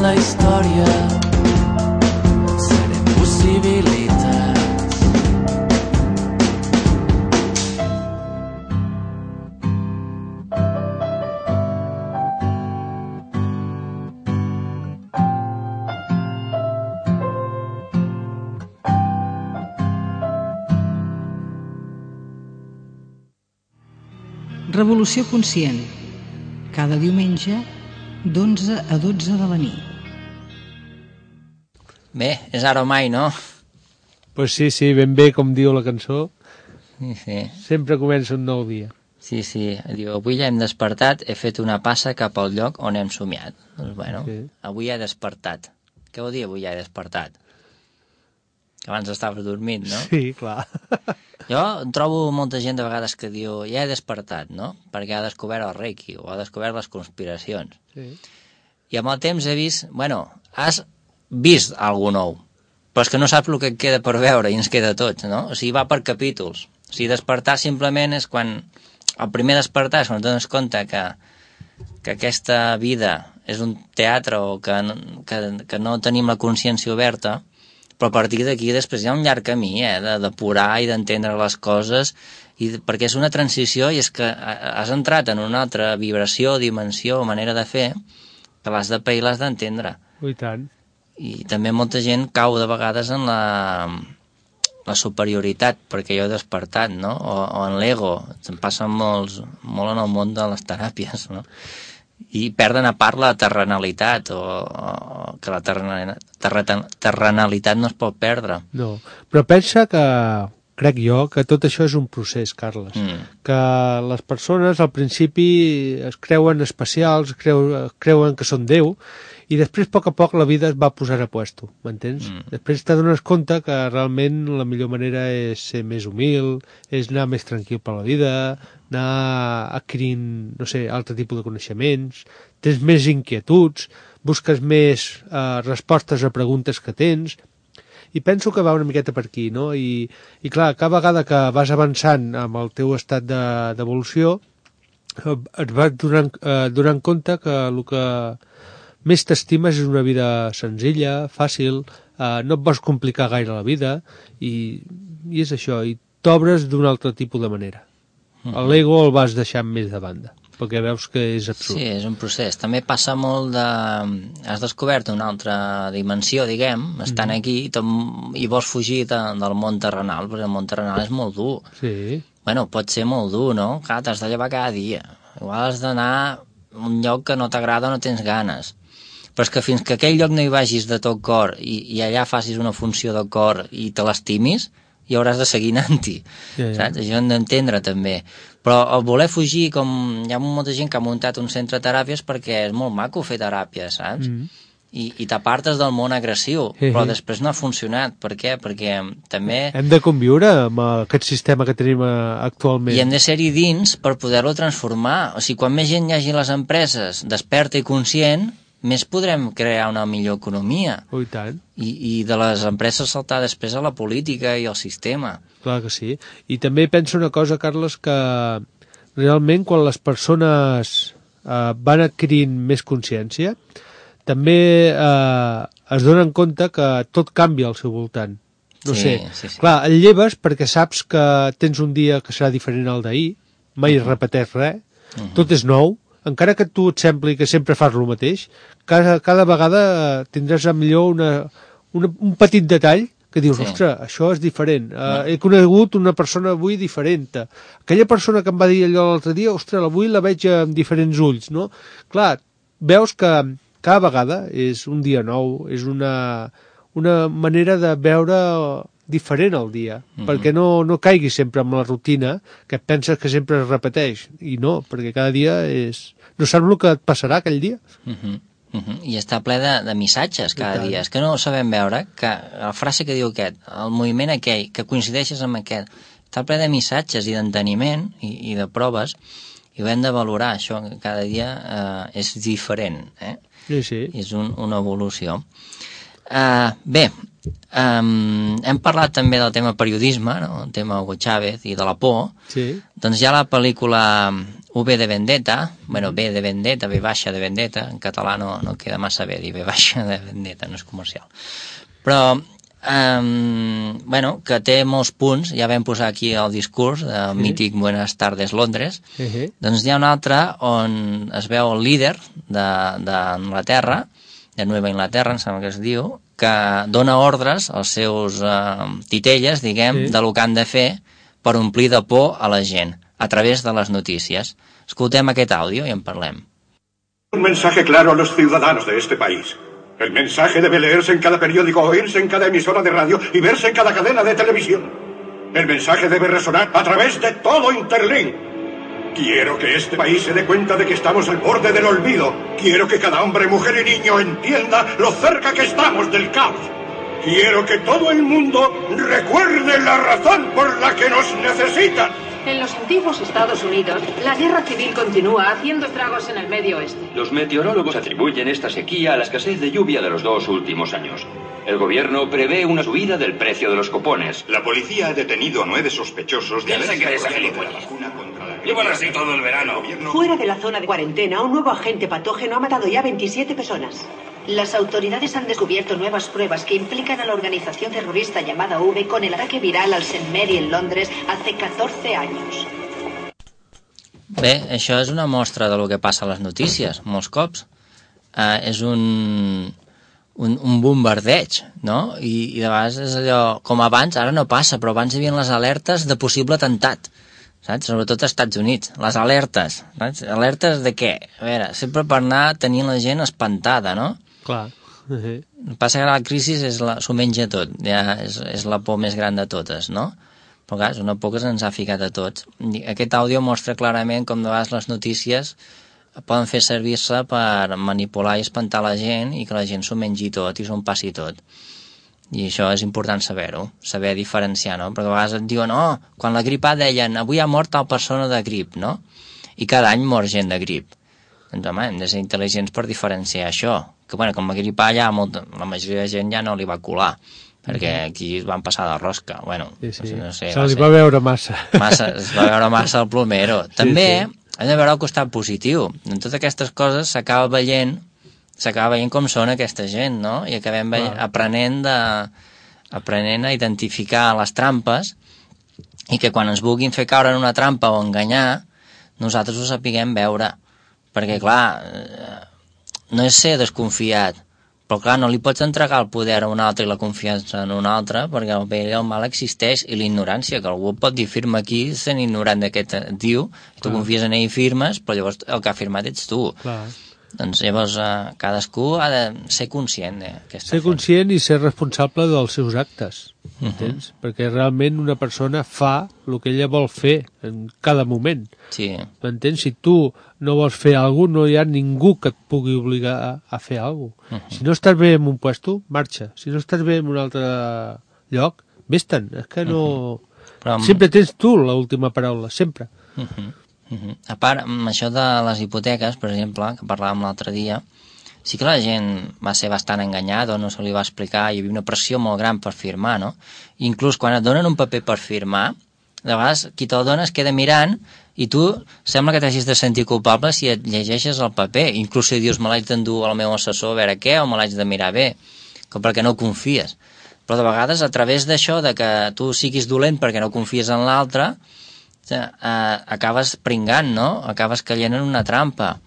la història, serem possibilitats. Revolució conscient. Cada diumenge d'11 a 12 de la nit. Bé, és ara o mai, no? Pues sí, ben bé, com diu la cançó. Sí. Sempre comença un nou dia. Sí. Diu, avui ja hem despertat, he fet una passa cap al lloc on hem somiat. Doncs bueno, sí. Avui ja he despertat. Què vol dir avui ja he despertat? Que abans estaves dormint, no? Sí, clar. Jo trobo molta gent de vegades que diu ja he despertat, no? Perquè ha descobert el Reiki o ha descobert les conspiracions. Sí. I amb el temps he vist... Bueno, has vist alguna nou, però és que no saps el que et queda per veure i ens queda a tots, no? O sigui, va per capítols. O sigui, despertar simplement és quan... El primer despertar és quan et dones compte que aquesta vida és un teatre o que no tenim la consciència oberta, però a partir d'aquí després hi ha un llarg camí de depurar i d'entendre les coses, perquè és una transició i és que has entrat en una altra vibració, dimensió o manera de fer que l'has de pair i l'has d'entendre. I tant. I també molta gent cau de vegades en la superioritat, perquè jo he despertat, no? O en l'ego. Se'n passen molt en el món de les teràpies, no? I perden a part la terrenalitat, o que la terrenalitat no es pot perdre. No, però pensa que, crec jo, que tot això és un procés, Carles. Que les persones al principi es creuen especials, creuen que són Déu, i després, a poc la vida es va posar a puesto, m'entens? Després t'adones compte que realment la millor manera és ser més humil, és anar més tranquil per la vida, anar adquirint, no sé, altre tipus de coneixements, tens més inquietuds, busques més respostes a preguntes que tens, i penso que va una miqueta per aquí, no? I clar, cada vegada que vas avançant amb el teu estat d'evolució, et vas donant compte que el que més t'estimes és una vida senzilla, fàcil, no et vols complicar gaire la vida, i és això, i t'obres d'un altre tipus de manera. L'ego el vas deixant més de banda, perquè veus que és absurd. Sí, és un procés. També passa molt de... Has descobert una altra dimensió, diguem, estant aquí, i vols fugir del món terrenal, perquè el món terrenal és molt dur. Sí. Bueno, pot ser molt dur, no? Clar, t'has de llevar cada dia. Igual has d'anar a un lloc que no t'agrada o no tens ganes. Però és que fins que aquell lloc no hi vagis de tot cor i allà facis una funció de cor i te l'estimis, i hauràs de seguir anant-hi, saps? Això hem d'entendre també. Però el voler fugir, com hi ha molta gent que ha muntat un centre de teràpies perquè és molt maco fer teràpia, saps? I t'apartes del món agressiu, però després no ha funcionat. Per què? Perquè també... Hem de conviure amb aquest sistema que tenim actualment. I hem de ser-hi dins per poder-lo transformar. O sigui, quan més gent hi hagi a les empreses desperta i conscient, més podrem crear una millor economia. Oh, i tant. I de les empreses saltar després a la política i al sistema. Clar que sí. I també penso una cosa, Carles, que realment quan les persones van adquirint més consciència, també es donen compte que tot canvia al seu voltant. No sé. Sí. Clar, et lleves perquè saps que tens un dia que serà diferent al d'ahir, mai repeteix res, tot és nou, encara que tu et sembli que sempre fas el mateix, cada vegada tindràs millor un petit detall que dius, ostres, això és diferent. He conegut una persona avui diferent. Aquella persona que em va dir allò l'altre dia, ostres, avui la veig amb diferents ulls, no? Clar, veus que cada vegada és un dia nou, és una manera de veure diferent el dia, perquè no caiguis sempre en la rutina, que penses que sempre es repeteix, i no, perquè cada dia no saps el que et passarà aquell dia. I està ple de missatges cada dia, és que no sabem veure que la frase que diu aquest, el moviment aquell, que coincideixes amb aquest, està ple de missatges i d'enteniment i de proves, i ho hem de valorar, això, que cada dia és diferent, Sí. És una evolució. Bé, hem parlat també del tema periodisme, no? El tema Hugo Chávez i de la por. Sí. Doncs hi ha la pel·lícula V de Vendetta, bueno, V de Vendetta, V baixa de Vendetta, en català no queda massa bé dir V baixa de Vendetta, no és comercial. Però, bueno, que té molts punts, ja vam posar aquí el discurs del mític Buenas tardes Londres, doncs hi ha un altre on es veu el líder d'Anglaterra, de Nova Inglaterra, em sembla que es diu, que dona ordres als seus titelles, diguem, de lo que han de fer per omplir de por a la gent, a través de les notícies. Escoltem aquest àudio i en parlem. Un mensaje claro a los ciudadanos de este país. El mensaje debe leerse en cada periódico, oírse en cada emisora de radio y verse en cada cadena de televisión. El mensaje debe resonar a través de todo Interlink. Quiero que este país se dé cuenta de que estamos al borde del olvido. Quiero que cada hombre, mujer y niño entienda lo cerca que estamos del caos. Quiero que todo el mundo recuerde la razón por la que nos necesitan. En los antiguos Estados Unidos, la guerra civil continúa haciendo estragos en el Medio Oeste. Los meteorólogos atribuyen esta sequía a la escasez de lluvia de los 2 últimos años. El gobierno prevé una subida del precio de los cupones. La policía ha detenido a 9 sospechosos de ¿Quién se cree esa gilipollas? Llevan así todo el verano. Fuera de la zona de cuarentena, un nuevo agente patógeno ha matado ya 27 personas. Las autoridades han descubierto nuevas pruebas que implican a la organización terrorista llamada V con el ataque viral al St. Mary en Londres hace 14 años. Bé, això és una mostra de lo que passa a les notícies, molts cops. És un bombardeig, no? I de vegades és allò, com abans, ara no passa, però abans hi havia les alertes de possible atemptat, saps? Sobretot als Estats Units, les alertes, saps? Alertes de què? A veure, sempre per anar tenint la gent espantada, no? Clar. El que passa que la crisi s'ho menja tot, ja és la por més gran de totes, no? Però clar, és una por que se'ns ha ficat a tots. Aquest àudio mostra clarament com de vegades les notícies poden fer servir-se per manipular i espantar la gent i que la gent s'ho mengi tot i s'ho passi tot. I això és important saber-ho, saber diferenciar, no? Perquè a vegades et diuen, quan la grip A deien, avui ha mort tal persona de grip, no? I cada any mor gent de grip. Doncs home, hem de ser intel·ligents per diferenciar això. Que bueno, com a grip A ja la majoria de gent ja no li va colar, perquè aquí es van passar de rosca. Bueno, sí. No sé, se li va veure massa. Es va veure massa el plomero. També hem de veure el costat positiu. En totes aquestes coses s'acaba veient s'acaba veient com són aquesta gent, no? I acabem aprenent a identificar les trampes i que quan ens vulguin fer caure en una trampa o enganyar, nosaltres ho sapiguem veure. Perquè, clar, no és ser desconfiat, però, clar, no li pots entregar el poder a un altre i la confiança en un altre, perquè el bé i el mal existeix, i l'ignorància, que algú pot dir firma aquí sent ignorant d'aquest diu, tu confies en ell i firmes, però llavors el que ha firmat ets tu. Clar. Doncs llavors cadascú ha de ser conscient ser conscient i ser responsable dels seus actes, entens? Perquè realment una persona fa el que ella vol fer en cada moment. Sí. M'entens? Si tu no vols fer alguna cosa, no hi ha ningú que et pugui obligar a fer alguna cosa. Si no estàs bé en un puesto, marxa. Si no estàs bé en un altre lloc, vés-te'n. És que no... Però sempre tens tu l'última paraula, sempre. A part, amb això de les hipoteques, per exemple, que parlàvem l'altre dia, sí que la gent va ser bastant enganyada, no se li va explicar, hi havia una pressió molt gran per firmar, no? Inclús quan et donen un paper per firmar, de vegades qui te'l dona es queda mirant i tu sembla que t'hagis de sentir culpable si et llegeixes el paper, inclús si dius me l'haig d'endur al meu assessor a veure què, o me l'haig de mirar bé, com perquè no confies. Però de vegades a través d'això de que tu siguis dolent perquè no confies en l'altre, acabes pringant, no? Acabes caient en una trampa.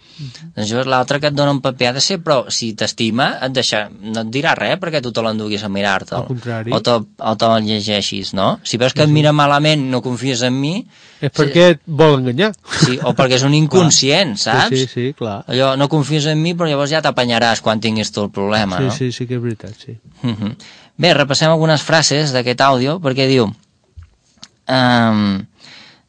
Doncs l'altre que et dona un paper ha de ser, però si t'estima no et dirà res perquè tu te l'enduguis a mirar-te'l. Al contrari. O te'l llegeixis, no? Si veus que et mira malament, no confies en mi... És perquè et vol enganyar. Sí, o perquè és un inconscient, saps? Sí, clar. Allò, no confies en mi, però llavors ja t'apanyaràs quan tinguis tu el problema, no? Sí que és veritat, sí. Bé, repassem algunes frases d'aquest àudio, perquè diu...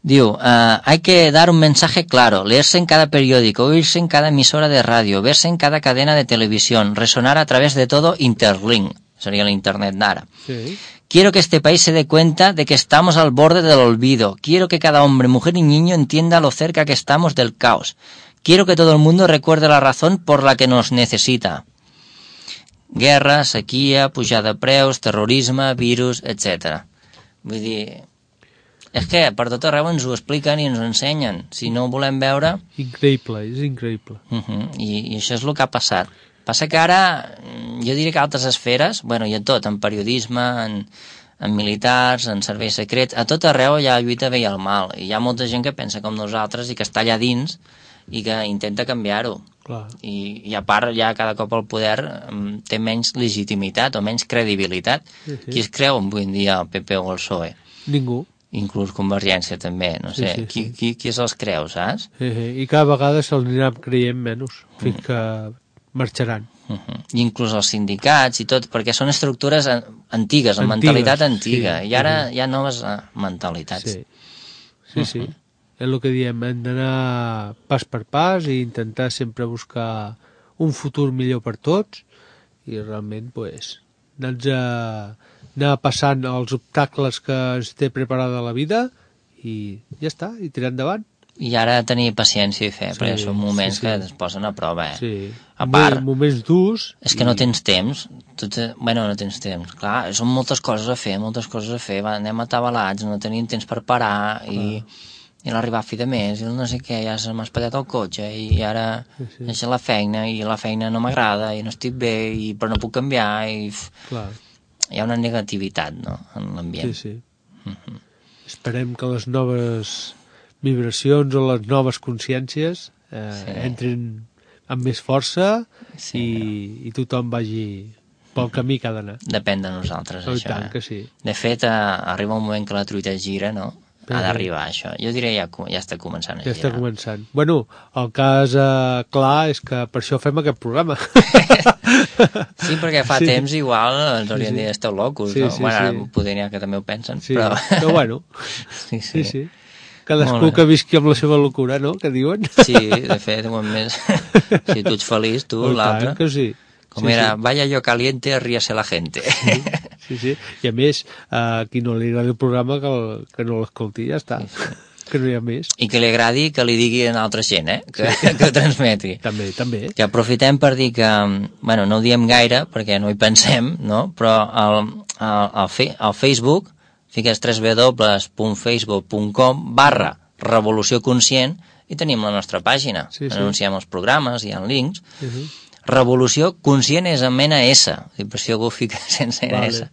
hay que dar un mensaje claro, leerse en cada periódico, oírse en cada emisora de radio, verse en cada cadena de televisión, resonar a través de todo Interlink, sería el Internet d'ara. Sí. Quiero que este país se dé cuenta de que estamos al borde del olvido. Quiero que cada hombre, mujer y niño entienda lo cerca que estamos del caos. Quiero que todo el mundo recuerde la razón por la que nos necesita. Guerra, sequia, pujada de preus, terrorisme, virus, etc. Vull dir... És que per tot arreu ens ho expliquen i ens ho ensenyen. Si no ho volem veure... Increïble, és increïble. I això és el que ha passat. Passa que ara, jo diria que altres esferes, bueno, i a tot, en periodisme, en militars, en serveis secrets, a tot arreu hi ha lluita bé i el mal. I hi ha molta gent que pensa com nosaltres i que està allà dins i que intenta canviar-ho. I a part ja cada cop el poder té menys legitimitat o menys credibilitat. Qui es creu avui en dia el PP o el PSOE? Ningú. Inclús Convergència també, no sé, qui se'ls creu, saps? I cada vegada se'ls anirà creient menys, fins que marxaran. I inclús els sindicats i tot, perquè són estructures antigues, amb mentalitat antiga, i ara hi ha noves mentalitats. Sí. És el que diem, hem d'anar pas per pas i intentar sempre buscar un futur millor per tots i realment, anar passant els obstacles que es té preparada la vida i ja està, i tirar endavant. I ara tenir paciència i fer, perquè són moments que es posen a prova, A part, moments durs... És que no tens temps. No tens temps. Clar, són moltes coses a fer, anem atabalats, no tenim temps per parar i l'arribar a fi de mes, i el no sé què, ja se m'ha espatllat el cotxe i ara deixa la feina i la feina no m'agrada i no estic bé però no puc canviar i... Hi ha una negativitat, no?, en l'ambient. Sí. Esperem que les noves vibracions o les noves consciències entrin amb més força i tothom vagi pel camí que ha d'anar. Depèn de nosaltres, això. I tant que sí. De fet, arriba un moment que la truita gira, no?, ha d'arribar això. Jo diria ja està començant a girar. Ja està començant. Bueno, el cas clar és que per això fem aquest programa. Sí, perquè fa temps igual ens haurien dit esteu locos, no? Bueno, poder n'hi ha que també ho pensen, però bueno. Sí. Cadascú que visqui amb la seva locura, no?, que diuen. Sí, de fet, si tu ets feliç, tu, l'altre. Que sí. Com era, vaya yo caliente, ríase la gente. Sí. I a més, a qui no li agrada el programa que no l'escolti, ja està. Que no hi ha més. I que li agradi que li digui a altra gent, que ho transmeti. També. Que aprofitem per dir que, bueno, no ho diem gaire perquè no hi pensem, no? Però al Facebook fiques www.facebook.com/revolució conscient i tenim la nostra pàgina. Anunciem els programes, hi ha links. Revolució conscient és amb NS, per si algú fica sense NS.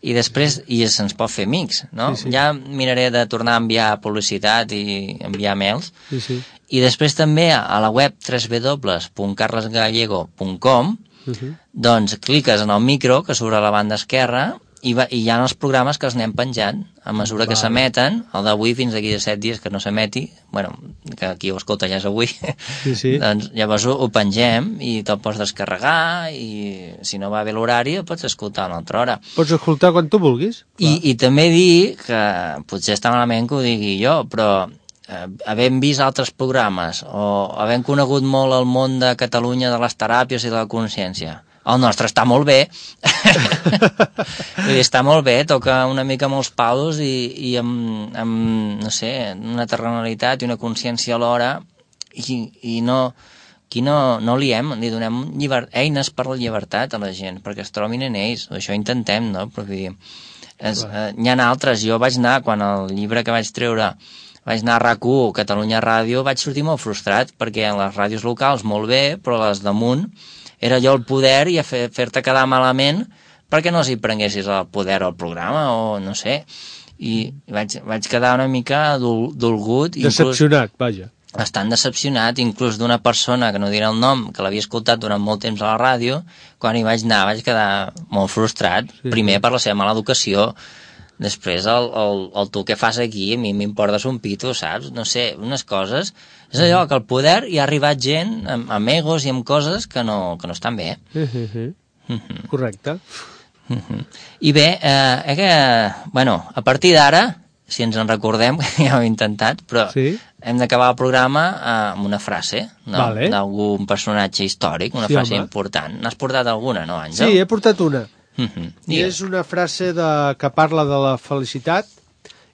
I després se'ns pot fer amics, no? Sí. Ja miraré de tornar a enviar publicitat i enviar mails. Sí. I després també a la web www.carlesgallego.com doncs cliques en el micro que surt a la banda esquerra i hi ha els programes que els anem penjant a mesura que s'emeten, el d'avui fins d'aquí de 7 dies que no s'emeti, bueno, que aquí ho escolta ja és avui, doncs llavors ho pengem i te'l pots descarregar i si no va bé l'horari el pots escoltar a una altra hora. Pots escoltar quan tu vulguis. I també dir que potser està malament que ho digui jo, però havent vist altres programes o havent conegut molt el món de Catalunya de les teràpies i de la consciència, el nostre està molt bé. Està molt bé, toca una mica amb els paus i amb no sé, una terrenalitat i una consciència alhora i no liem, li donem eines per la llibertat a la gent, perquè es trobin en ells. Això intentem, no? Però vull dir, n'hi ha altres. Jo vaig anar, quan el llibre que vaig treure vaig anar a RAC1, Catalunya Ràdio, vaig sortir molt frustrat, perquè en les ràdios locals molt bé, però les damunt era allò el poder i a fer-te quedar malament perquè no els hi prenguessis el poder al programa o no sé. I vaig quedar una mica dolgut. Decepcionat, vaja. Bastant decepcionat, inclús d'una persona, que no diré el nom, que l'havia escoltat durant molt temps a la ràdio, quan hi vaig anar vaig quedar molt frustrat, primer per la seva mala educació, després el tu què fas aquí, a mi m'importes un pito, saps? No sé, unes coses. És allò que el poder hi ha arribat gent amb egos i amb coses que no estan bé. Correcte. I bé, bueno, a partir d'ara, si ens en recordem, que ja ho he intentat, però hem d'acabar el programa amb una frase, no? D'algun personatge històric, una frase important. N'has portat alguna, no, Àngel? Sí, he portat una. I és una frase que parla de la felicitat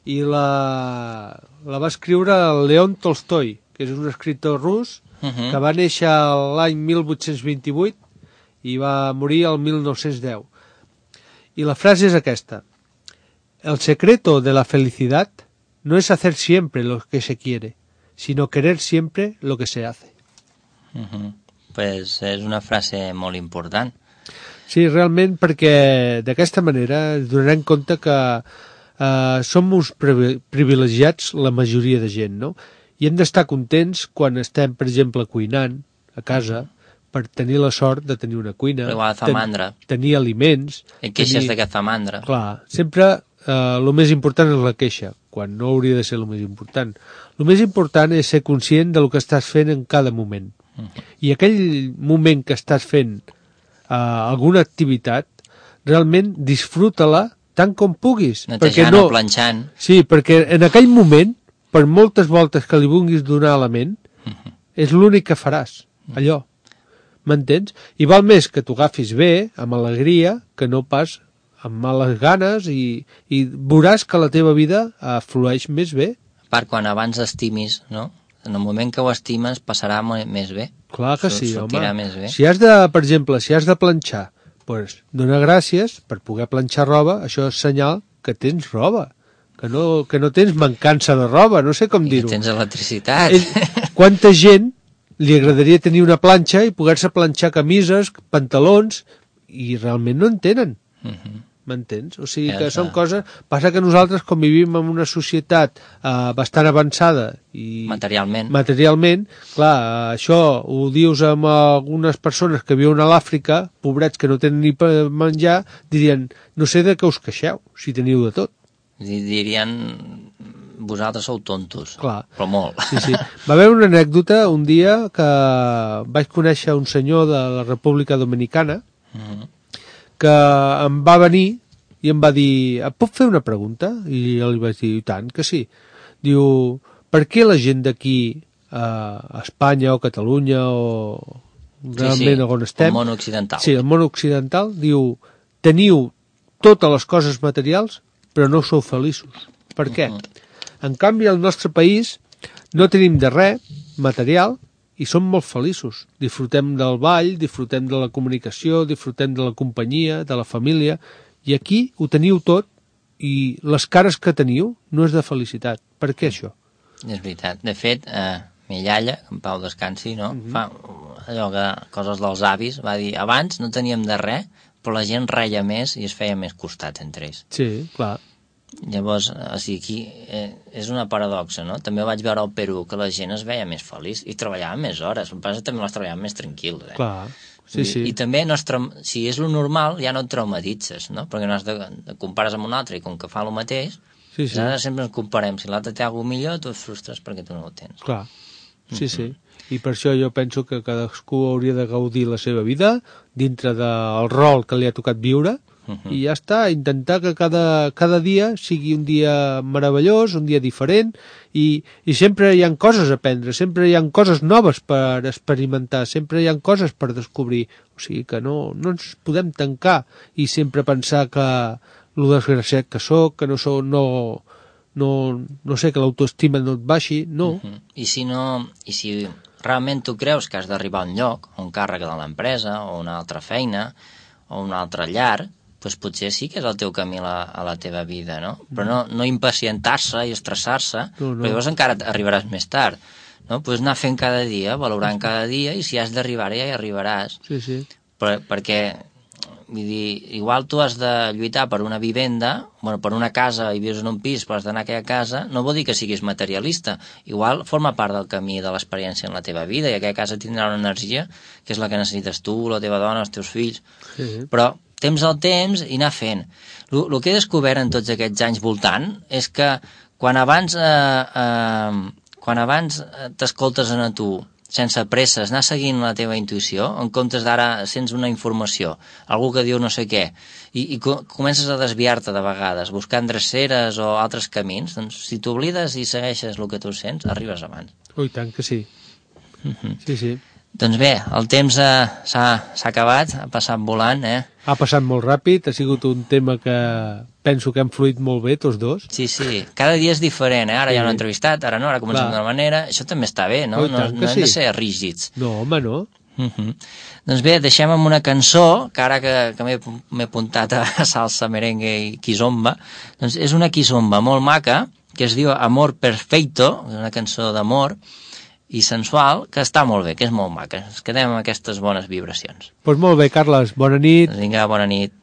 i la va escriure León Tolstoi, que és un escriptor rus que va néixer l'any 1828 i va morir el 1910. Y la frase es aquesta: el secreto de la felicidad no es hacer siempre lo que se quiere, sino querer siempre lo que se hace. Pues és una frase molt important. Sí, realment, perquè d'aquesta manera ens donarem compte que som uns privilegiats la majoria de gent, no? I hem d'estar contents quan estem, per exemple, cuinant a casa, per tenir la sort de tenir una cuina, tenir aliments... I queixes de que fa mandra. Clar, sempre el més important és la queixa, quan no hauria de ser el més important. El més important és ser conscient del que estàs fent en cada moment. I aquell moment que estàs fent alguna activitat, realment disfruta-la tant com puguis. Netejant o planxant. Sí, perquè en aquell moment, per moltes voltes que li vulguis donar a la ment, és l'únic que faràs, allò. M'entens? I val més que t'ho agafis bé, amb alegria, que no pas amb males ganes, i veuràs que la teva vida flueix més bé. A part, quan abans estimis, no? En el moment que ho estimes passarà més bé. Clar que sí, home. Més bé. Si has de, per exemple, si has de planxar, doncs dona gràcies per poder planxar roba, això és senyal que tens roba, que no tens mancança de roba, no sé com dir-ho. Que tens electricitat. Quanta gent li agradaria tenir una planxa i poder-se planxar camises, pantalons, i realment no en tenen. M'entens? O sigui que són coses... Passa que nosaltres, com vivim en una societat bastant avançada i... Materialment, clar, això ho dius amb algunes persones que viuen a l'Àfrica, pobrets que no tenen ni per menjar, dirien, no sé de què us queixeu, si teniu de tot. Dirien, vosaltres sou tontos, però molt. Sí. Va haver una anècdota un dia que vaig conèixer un senyor de la República Dominicana que em va venir i em va dir, et puc fer una pregunta? I jo li vaig dir, i tant que sí. Diu, per què la gent d'aquí a Espanya o Catalunya o realment on estem... el món occidental. Sí, el món occidental, diu, teniu totes les coses materials però no sou feliços. Per què? En canvi, al nostre país no tenim de res material i som molt feliços. Disfrutem del ball, disfrutem de la comunicació, disfrutem de la companyia, de la família, i aquí ho teniu tot i les cares que teniu no és de felicitat. Per què això? És veritat. De fet, mi iaia, que en pau descansi, no? allò que, coses dels avis, va dir, abans no teníem de res, però la gent reia més i es feia més costats entre ells. Sí, clar. Llavors, o sigui, aquí és una paradoxa, no? També vaig veure al Perú que la gent es veia més feliç i treballava més hores, el que passa també les treballaven més tranquils, Clar, sí, sí. I també, si és lo normal, ja no et traumatitzes, no? Perquè no has de compares amb un altre i com que fa el mateix, sí, sí. Ara sempre ens comparem, si l'altre té alguna millor, tu et frustres perquè tu no ho tens. Clar, sí, sí. I per això jo penso que cadascú hauria de gaudir la seva vida dintre del rol que li ha tocat viure, i ja està, intentar que cada dia sigui un dia meravellós, un dia diferent, i sempre hi ha coses a aprendre, sempre hi ha coses noves per experimentar, sempre hi ha coses per descobrir, o sigui que no ens podem tancar i sempre pensar que lo desgraciat que soc, que no sé, que l'autoestima no et baixi, no. I si realment tu creus que has d'arribar a un lloc, a un càrrec de l'empresa, o una altra feina, o una altra llar, doncs potser sí que és el teu camí a la teva vida, no? Però no impacientar-se i estressar-se, perquè llavors encara arribaràs més tard, no? Doncs anar fent cada dia, valorant cada dia, i si has d'arribar ja hi arribaràs. Sí, sí. Perquè, vull dir, igual tu has de lluitar per una vivenda, per una casa i vius en un pis, però has d'anar a aquella casa, no vol dir que siguis materialista. Igual forma part del camí de l'experiència en la teva vida, i aquella casa tindrà una energia que és la que necessites tu, la teva dona, els teus fills. Però temps al temps i anar fent. El que he descobert en tots aquests anys voltant és que quan abans t'escoltes a tu sense presses, anar seguint la teva intuïció, en comptes d'ara sents una informació, algú que diu no sé què, i comences a desviar-te de vegades, buscant dreceres o altres camins, doncs si t'oblides i segueixes el que tu sents, arribes abans. Ui, tant que sí. Sí, sí. Doncs bé, el temps s'ha acabat, ha passat volant, Ha passat molt ràpid, ha sigut un tema que penso que hem fluït molt bé, tots dos. Sí, cada dia és diferent, Ara ja no he entrevistat, ara no, ara comencem d'una manera, això també està bé, no? No hem de ser rígids. No, home, no. Doncs bé, deixem amb una cançó, que ara que m'he apuntat a salsa, merengue i quizomba, doncs és una quizomba molt maca, que es diu Amor Perfecto, una cançó d'amor, i sensual, que està molt bé, que és molt maca. Ens quedem amb aquestes bones vibracions. Doncs molt bé, Carles, bona nit. Vinga, bona nit.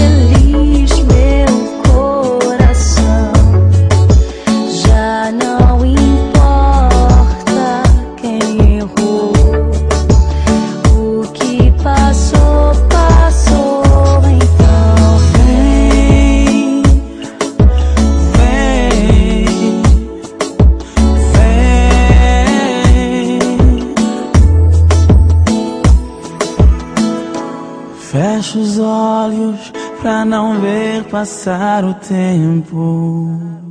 feliz, meu coração. Já não importa quem errou. O que passou, passou. Então vem, vem, vem. Fecha os olhos pra não ver passar o tempo.